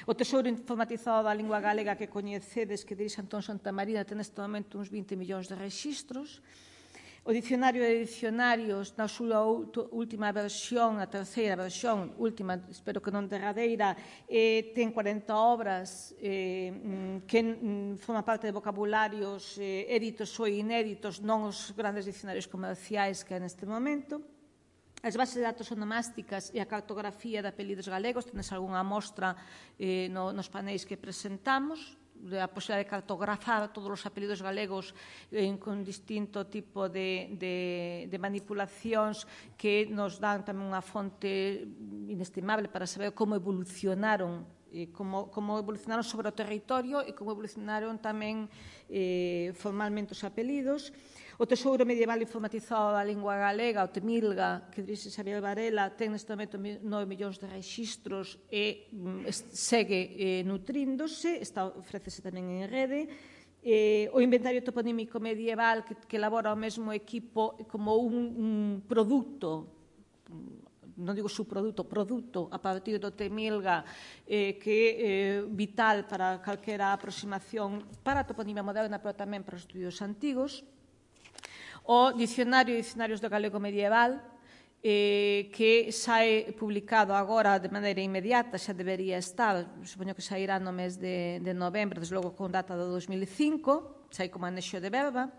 O tesouro informatizado da lingua galega que coñecedes, que dirixe Antón Santamarina, ten neste momento uns vinte millóns de rexistros. O dicionario de dicionarios, na súa última versión, a terceira versión, última, espero que non derradeira, eh, ten cuarenta obras eh, que mm, forman parte de vocabularios eh, éditos ou inéditos, non os grandes dicionarios comerciais que hai neste momento. As bases de datos onomásticas e a cartografía de apelidos galegos, tenes algunha mostra eh, no, nos paneis que presentamos, a posibilidade de cartografar todos os apelidos galegos eh, con distinto tipo de, de, de manipulacións que nos dan tamén unha fonte inestimable para saber como evolucionaron eh, como, como evolucionaron sobre o territorio e como evolucionaron tamén eh, formalmente os apelidos. O Tesouro Medieval Informatizado da Lingua Galega, o TEMILGA, que dirixe Xavier Varela, ten neste momento nove millóns de rexistros e segue eh, nutríndose, está, ofrécese tamén en rede. Eh, o Inventario Toponímico Medieval, que, que elabora o mesmo equipo como un, un produto, non digo subproduto, produto a partir do TEMILGA, eh, que é eh, vital para calquera aproximación para a toponimia moderna, pero tamén para os estudios antigos. O Dicionario de Dicionarios do Galego Medieval, eh, que sae publicado agora de maneira inmediata, xa debería estar, supoño que sairá no mes de, de novembro, desde logo con data do dos mil e cinco, sai como anexo de verba.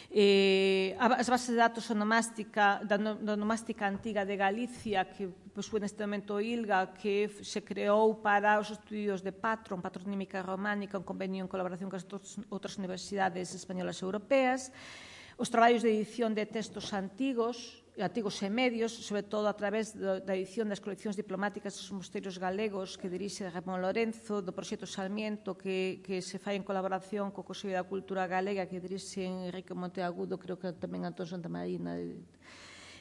Eh, as bases de datos onomástica, da, da onomástica antiga de Galicia, que posúe neste momento o ILGA, que se creou para os estudios de patron, patronímica románica, un convenio en colaboración con as outras universidades españolas e europeas. Os traballos de edición de textos antigos, antigos e medios, sobre todo a través da edición das coleccións diplomáticas dos mosteiros galegos que dirixe Ramón Lorenzo, do proxecto Sarmiento que, que se fai en colaboración co Consello da Cultura Galega que dirixe Enrique Monteagudo, creo que tamén Antón Santamarina.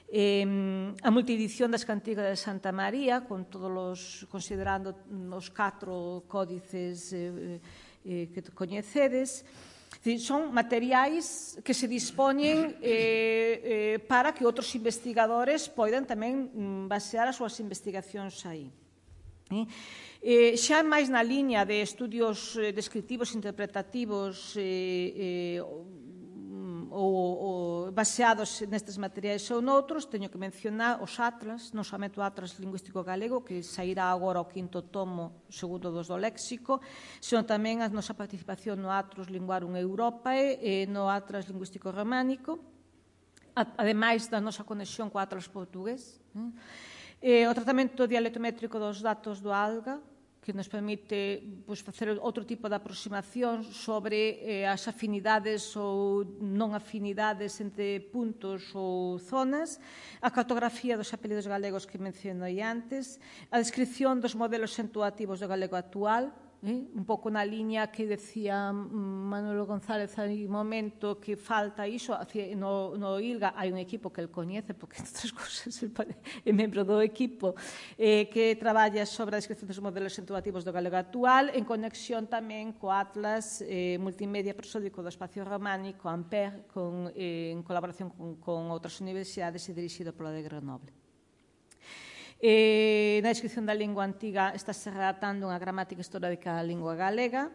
A multiedición das cantigas de Santa María, con todos os, considerando os catro códices que coñecedes. Son materiais que se dispoñen para que outros investigadores poidan tamén basear as súas investigacións aí. Xa máis na liña de estudios descriptivos, interpretativos ou baseados nestes materiais ou noutros, teño que mencionar os atlas, non somente o Atlas Lingüístico Galego, que sairá agora o quinto tomo, segundo dos do léxico, senón tamén a nosa participación no Atlas Linguarum Europae e no Atlas Lingüístico Románico, ademais da nosa conexión co Atlas portugués. O tratamento dialectométrico dos datos do ALGA, que nos permite facer outro tipo de aproximación sobre as afinidades ou non afinidades entre puntos ou zonas, a cartografía dos apelidos galegos que mencionei antes, a descripción dos modelos acentuativos do galego actual, un pouco na liña que decía Manolo González hai un momento que falta iso. No ILGA hai un equipo que el coñece, porque estas cousas é membro do equipo que traballa sobre a descripción dos modelos acentuativos do galego actual, en conexión tamén co Atlas Multimedia Prosódico do Espacio Románico, Ampère, en colaboración con outras universidades e dirixido polo de Grenoble. Na descripción da lingua antiga está-se redactando unha gramática histórica da lingua galega,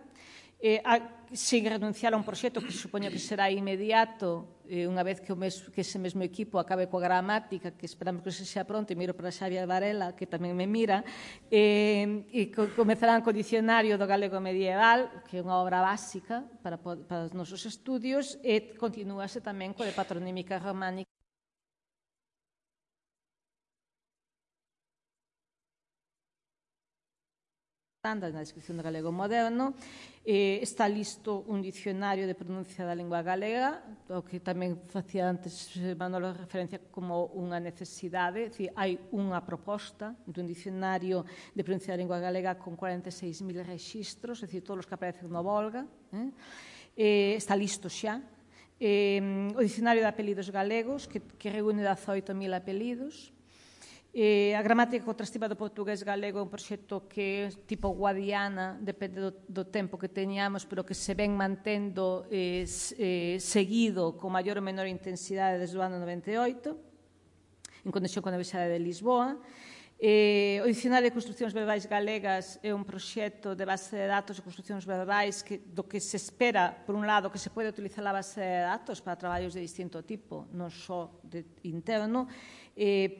sin renunciar a un proxecto que supoño que será inmediato unha vez que ese mesmo equipo acabe coa gramática, que esperamos que se xa pronto, e miro para Xavier Varela, que tamén me mira, e comezarán co dicionario do galego medieval, que é unha obra básica para os nosos estudios, e continúase tamén coa de patronímica románica na descripción do galego moderno. Está listo un dicionario de pronuncia da lingua galega, o que tamén facía antes Manolo referencia como unha necesidade. Hai unha proposta dun dicionario de pronuncia da lingua galega con cuarenta e seis mil rexistros, é dicir, todos os que aparecen no Volga. Está listo xa. O dicionario de apelidos galegos, que reúne dezaoito mil apelidos. A gramática contrastiva do portugués galego é un proxecto que é tipo Guadiana, depende do tempo que teñamos, pero que se ven mantendo seguido con maior ou menor intensidade desde o ano noventa e oito, en conexión con a Universidade de Lisboa. O Dicionario de Construcións Verbais Galegas é un proxecto de base de datos de construcións verbais do que se espera, por un lado, que se pode utilizar a base de datos para traballos de distinto tipo, non só interno,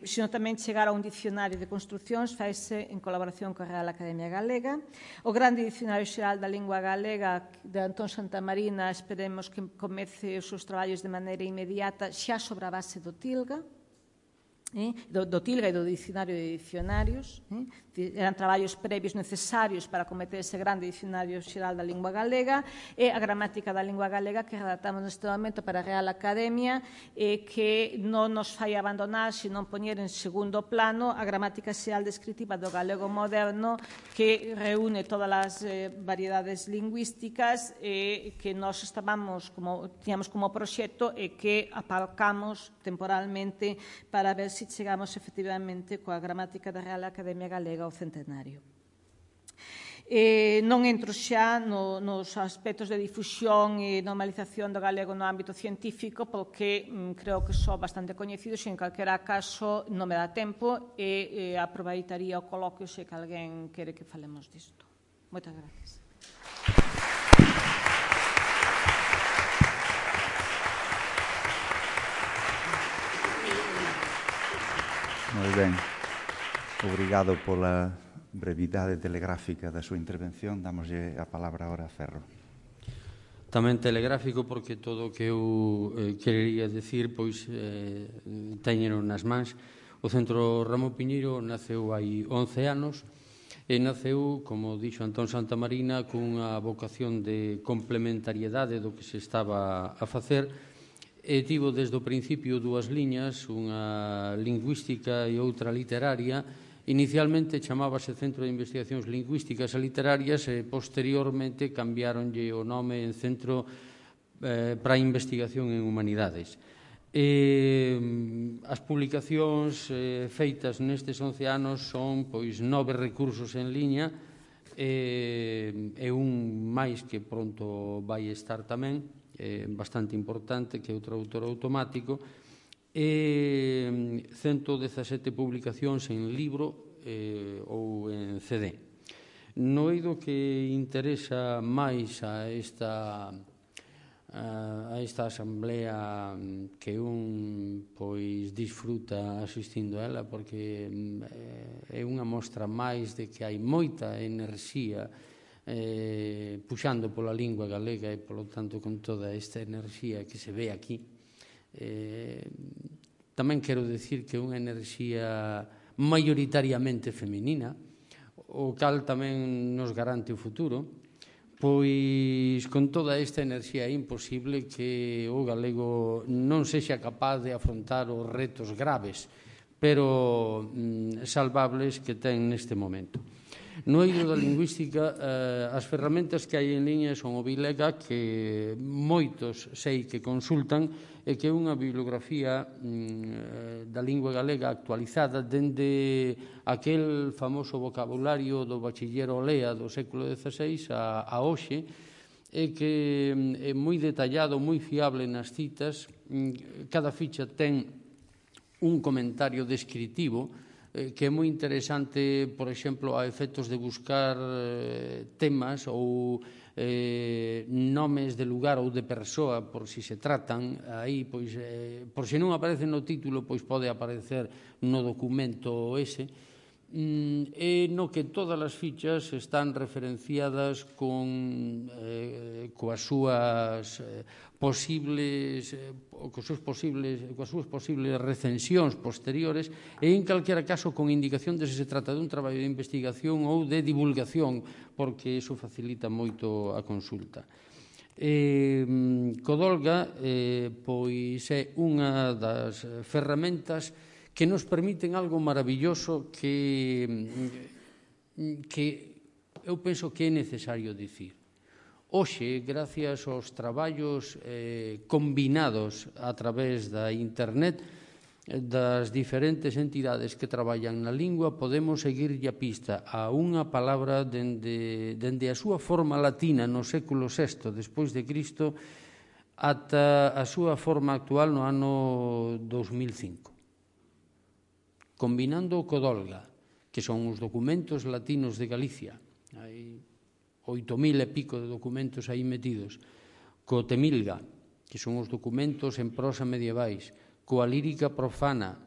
sino tamén chegar a un dicionario de construcións, faise en colaboración coa Real Academia Galega. O grande Dicionario Xeral da Lingua Galega de Antón Santamarina, esperemos que comece os seus traballos de maneira inmediata xa sobre a base do TILGA, do TILGA e do Dicionario de Dicionarios. Eran traballos previos necesarios para cometer ese grande Dicionario Xeral da Lingua Galega, e a gramática da lingua galega que redactamos neste momento para a Real Academia, que non nos fai abandonar, senón poñer en segundo plano a gramática xeral descritiva do galego moderno, que reúne todas as variedades lingüísticas que nós estábamos, tiñamos como proxecto e que aparcamos temporalmente para ver se chegamos efectivamente coa gramática da Real Academia Galega ao centenario. Non entro xa nos aspectos de difusión e normalización do galego no ámbito científico, porque creo que son bastante coñecidos e, en calquera caso, non me dá tempo, e aproveitaría o coloquio se que alguén quere que falemos disto. Moitas gracias. Moi ben. Obrigado pola brevidade telegráfica da súa intervención. Damoslle a palabra agora a Ferro. Tamén telegráfico, porque todo o que eu querería decir pois teñeno nas mans. O Centro Ramón Piñeiro naceu hai once anos e naceu, como dixo Antón Santamarina, cunha vocación de complementariedade do que se estaba a facer. E tivo desde o principio dúas liñas, unha lingüística e outra literaria. Inicialmente chamábase Centro de Investigacións Lingüísticas e Literarias e posteriormente cambiaronlle o nome en Centro para a Investigación en Humanidades. E as publicacións eh, feitas nestes once anos son pois nove recursos en liña e, e un máis que pronto vai estar tamén, eh, bastante importante, que é o traductor automático, e ciento dezasete publicacións en libro eh, ou en C D. No eido que interesa máis a esta a esta asamblea que un pois disfruta asistindo a ela, porque é unha mostra máis de que hai moita enerxía eh, puxando pola lingua galega e, polo tanto, con toda esta enerxía que se ve aquí. Eh, tamén quero decir que é unha enerxía maioritariamente feminina, o cal tamén nos garante o futuro. Pois con toda esta enerxía é imposible que o galego non sexa capaz de afrontar os retos graves, pero mm, salvables que ten neste momento. No eido da lingüística, eh, as ferramentas que hai en liña son o Bilega, que moitos sei que consultan, e que é unha bibliografía mm, da lingua galega actualizada dende aquel famoso vocabulario do bachiller Olea do século dezaseis a, a hoxe, e que é moi detallado, moi fiable nas citas. Cada ficha ten un comentario descritivo que é moi interesante, por exemplo, a efectos de buscar temas ou eh, nomes de lugar ou de persoa, por si se tratan, aí, pois, eh, por se non aparece no título, pois pode aparecer no documento ese, e no que todas as fichas están referenciadas con eh, coas súas eh, posibles eh, coas súas posibles coas súas posibles recensións posteriores, e en calquera caso con indicación de se se trata de un traballo de investigación ou de divulgación, porque iso facilita moito a consulta. Eh, Codolga eh, pois é unha das ferramentas que nos permiten algo maravilloso que, que eu penso que é necesario dicir. Hoxe, gracias aos traballos eh, combinados a través da internet das diferentes entidades que traballan na lingua, podemos seguirlle a pista a unha palabra dende, dende a súa forma latina no século sexto despois de Cristo ata a súa forma actual no ano dos mil cinco. Combinando o Codolga, que son os documentos latinos de Galicia, hai oito mil e pico de documentos aí metidos, co Temilga, que son os documentos en prosa medievais, coa lírica profana,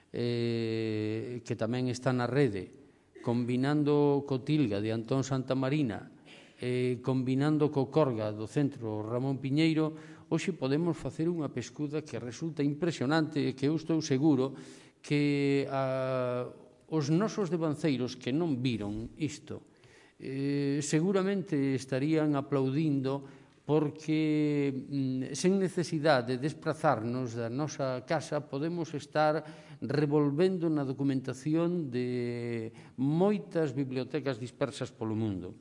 eh, que tamén está na rede, combinando co Tilga de Antón Santamarina, eh, combinando co Corga do Centro Ramón Piñeiro, hoxe podemos facer unha pescuda que resulta impresionante e que eu estou seguro que a, os nosos devanceiros que non viron isto eh, seguramente estarían aplaudindo, porque mm, sen necesidade de desplazarnos da nosa casa podemos estar revolvendo na documentación de moitas bibliotecas dispersas polo mundo.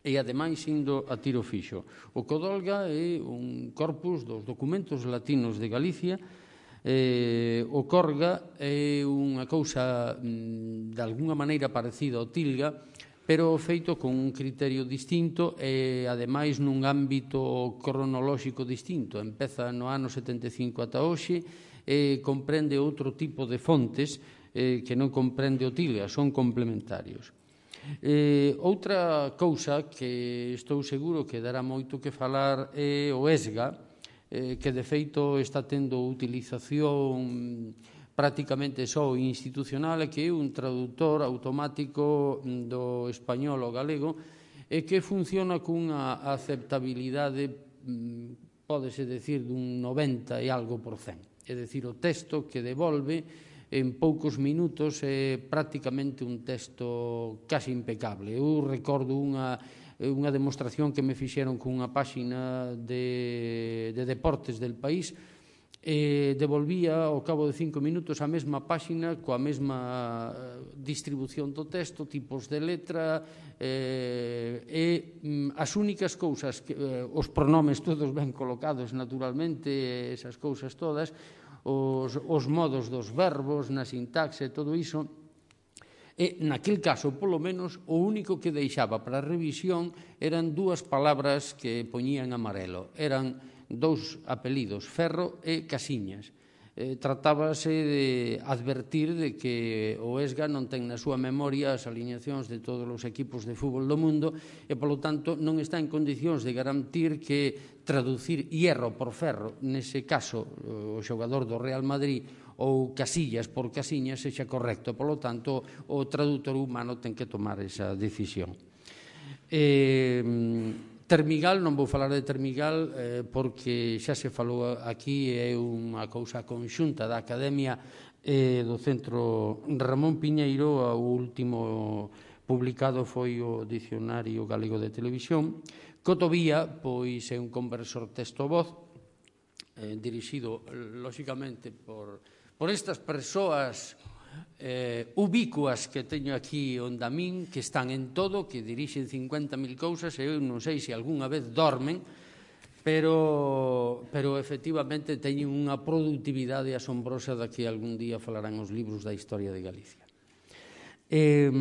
E, ademais, indo a tiro fixo. O Codolga é un corpus dos documentos latinos de Galicia. Eh, o Corga é unha cousa mm, de alguna maneira parecida ao Tilga, pero feito con un criterio distinto e, ademais, nun ámbito cronolóxico distinto. Empeza no ano setenta e cinco ata hoxe e comprende outro tipo de fontes eh, que non comprende o Tilga, son complementarios. Eh, outra cousa que estou seguro que dará moito que falar é o ESGA, que de feito está tendo utilización prácticamente só institucional, e que é un traductor automático do español ao galego e que funciona cunha aceptabilidade, pódese decir, dun noventa e algo por cen. É dicir, o texto que devolve en poucos minutos é prácticamente un texto casi impecable. Eu recordo unha unha demostración que me fixeron cunha páxina de, de deportes del país, e devolvía ao cabo de cinco minutos a mesma páxina coa mesma distribución do texto, tipos de letra, eh, e e as únicas cousas, os pronomes todos ben colocados naturalmente, esas cousas todas, os modos dos verbos, na sintaxe, todo iso, e naquel caso, polo menos, o único que deixaba para a revisión eran dúas palabras que poñían amarelo, eran dous apelidos, Ferro e Casiñas. Eh, tratábase de advertir de que o ESGA non ten na súa memoria as alineacións de todos os equipos de fútbol do mundo e, polo tanto, non está en condicións de garantir que traducir hierro por ferro, nese caso, o xogador do Real Madrid, ou Casillas por Casiñas, sexa correcto. Polo tanto, o traductor humano ten que tomar esa decisión. Eh... Termigal, non vou falar de Termigal eh, porque xa se falou aquí, é unha cousa conxunta da Academia e do Centro Ramón Piñeiro. O último publicado foi o Dicionario Galego de Televisión. Cotovía, pois, é un conversor texto-voz eh, dirixido, lóxicamente, por, por estas persoas Eh, ubícuas que teño aquí onde a min, que están en todo, que dirixen cincuenta mil cousas, e eu non sei se algunha vez dormen, pero, pero efectivamente teñen unha productividade asombrosa da que algún día falarán os libros da historia de Galicia. Eh,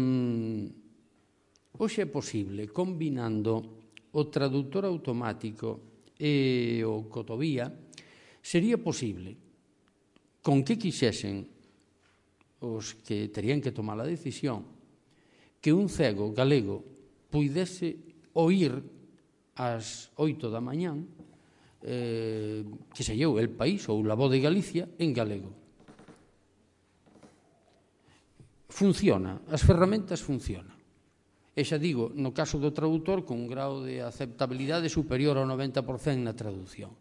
hoxe é posible, combinando o traductor automático e o Cotovía, sería posible, con que quixesen os que terían que tomar a decisión, que un cego galego puidese oír ás oito da mañán, eh, que se lleou El País ou La Voz de Galicia en galego. Funciona, as ferramentas funcionan. E xa digo, no caso do traductor, con un grau de aceptabilidade superior ao noventa por cento na traducción.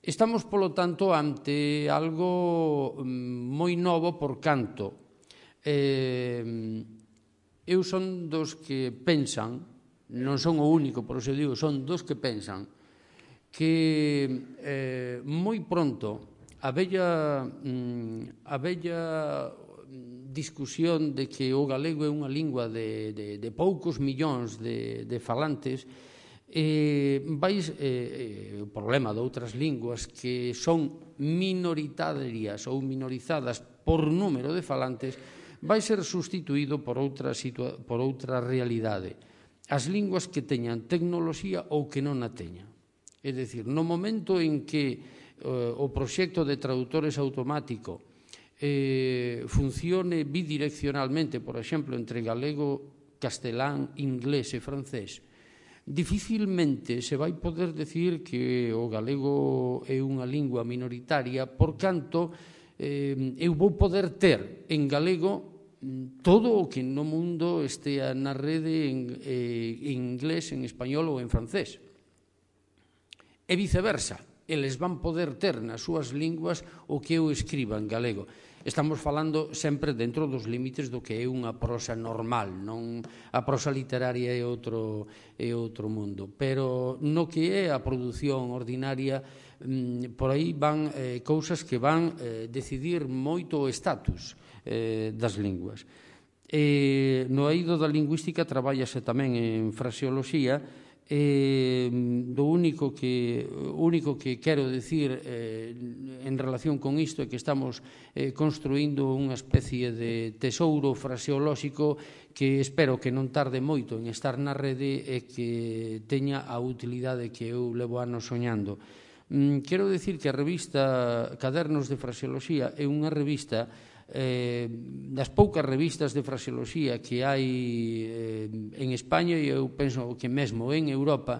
Estamos, polo tanto, ante algo moi novo por canto. Eh, eu son dos que pensan, non son o único, por iso digo, son dos que pensan que eh, moi pronto a bella, a bella discusión de que o galego é unha lingua de, de, de poucos millóns de, de falantes, Eh, vais, eh, o problema de outras linguas que son minoritarias ou minorizadas por número de falantes vai ser sustituído por outra, por outra realidade. As linguas que teñan tecnoloxía ou que non a teñan. É dicir, no momento en que eh, o proxecto de traductores automático eh, funcione bidireccionalmente, por exemplo, entre galego, castelán, inglés e francés, dificilmente se vai poder decir que o galego é unha lingua minoritaria, por canto eh, eu vou poder ter en galego todo o que no mundo estea na rede en, eh, en inglés, en español ou en francés. E viceversa, eles van poder ter nas súas linguas o que eu escriba en galego. Estamos falando sempre dentro dos límites do que é unha prosa normal, non a prosa literaria é outro, é outro mundo. Pero no que é a produción ordinaria, por aí van eh, cousas que van eh, decidir moito o estatus eh, das linguas. E no eido da lingüística trabállase tamén en fraseoloxía. Eh, do único que, único que quero decir eh, en relación con isto é que estamos eh, construindo unha especie de tesouro fraseolóxico que espero que non tarde moito en estar na rede e que teña a utilidade que eu levo anos soñando. Mm, quero decir que a revista Cadernos de Fraseoloxía é unha revista Eh, das poucas revistas de fraseoloxía que hai eh, en España e eu penso que mesmo en Europa,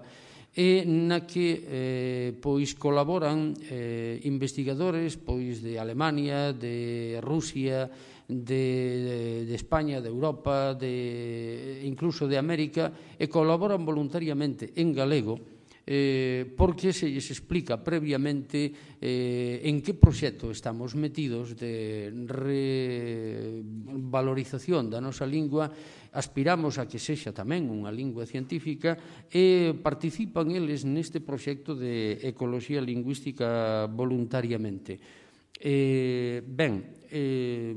e na que eh, pois colaboran eh, investigadores pois de Alemania, de Rusia, de, de España, de Europa, de, incluso de América, e colaboran voluntariamente en galego, Eh, porque se lles explica previamente eh, en que proxecto estamos metidos de revalorización da nosa lingua. Aspiramos a que sexa tamén unha lingua científica e participan eles neste proxecto de ecoloxía lingüística voluntariamente. Eh, ben, eh,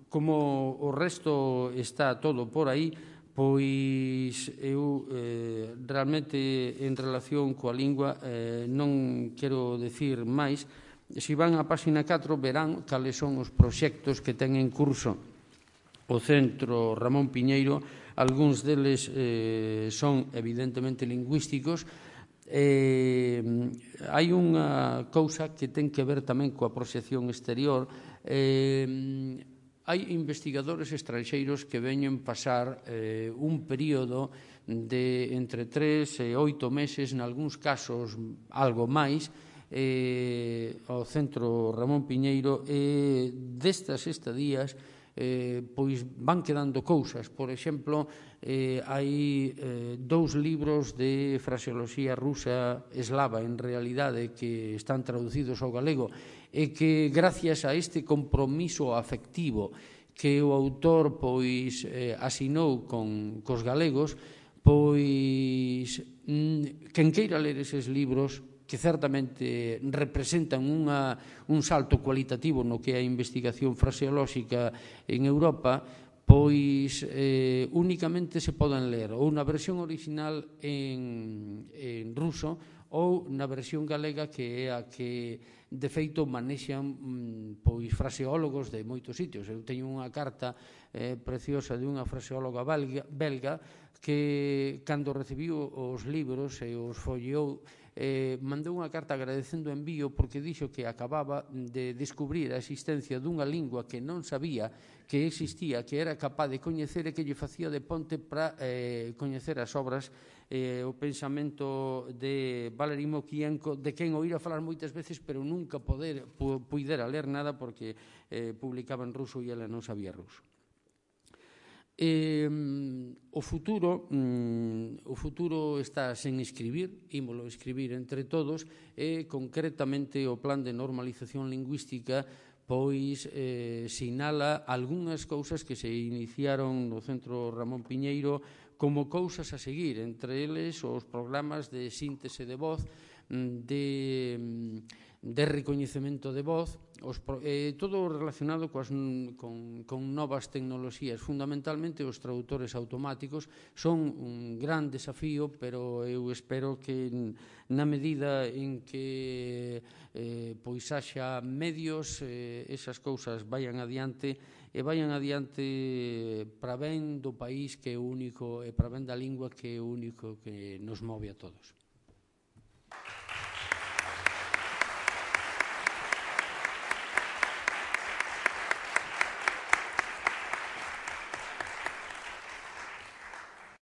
como o resto está todo por aí, pois eu eh, realmente en relación coa lingua eh, non quero decir máis. Se van á páxina catro verán cales son os proxectos que ten en curso o Centro Ramón Piñeiro. Algúns deles eh, son evidentemente lingüísticos. Eh, hai unha cousa que ten que ver tamén coa proxección exterior. Eh, hai investigadores estranxeiros que veñen pasar eh, un período de entre tres e oito meses, nalgúns casos algo máis, eh, ao Centro Ramón Piñeiro, e destas estadías eh, pois van quedando cousas. Por exemplo, eh, hai eh, dous libros de fraseoloxía rusa eslava, en realidade, que están traducidos ao galego, e que, gracias a este compromiso afectivo que o autor pois eh, asinou con cos galegos, pois mm, quen queira ler eses libros, que certamente representan unha, un salto cualitativo no que é a investigación fraseolóxica en Europa, pois eh, únicamente se poden ler ou na versión original en, en ruso ou na versión galega, que é a que de feito manexan pois fraseólogos de moitos sitios. Eu teño unha carta eh, preciosa de unha fraseóloga belga, belga que, cando recibiu os libros e os folleou, eh, mandou unha carta agradecendo o envío, porque dixo que acababa de descubrir a existencia dunha lingua que non sabía que existía, que era capaz de coñecer e que lle facía de ponte para eh, coñecer as obras, eh, o pensamento de Valery Mokienko, de quen oíra falar moitas veces, pero nunca poder, pu, puidera ler nada, porque eh, publicaba en ruso e ela non sabía ruso. Eh, o futuro mm, o futuro está sen escribir, ímolo escribir entre todos, e concretamente o plan de normalización lingüística pois eh, sinala algunhas cousas que se iniciaron no Centro Ramón Piñeiro como cousas a seguir, entre eles os programas de síntese de voz, de, de recoñecemento de voz, os, eh, todo relacionado coas, con, con novas tecnoloxías. Fundamentalmente os traductores automáticos son un gran desafío, pero eu espero que na medida en que eh, pois haxa medios, eh, esas cousas vayan adiante, e vayan adiante para ben do país, que é único, e para ben da lingua, que é o único que nos move a todos.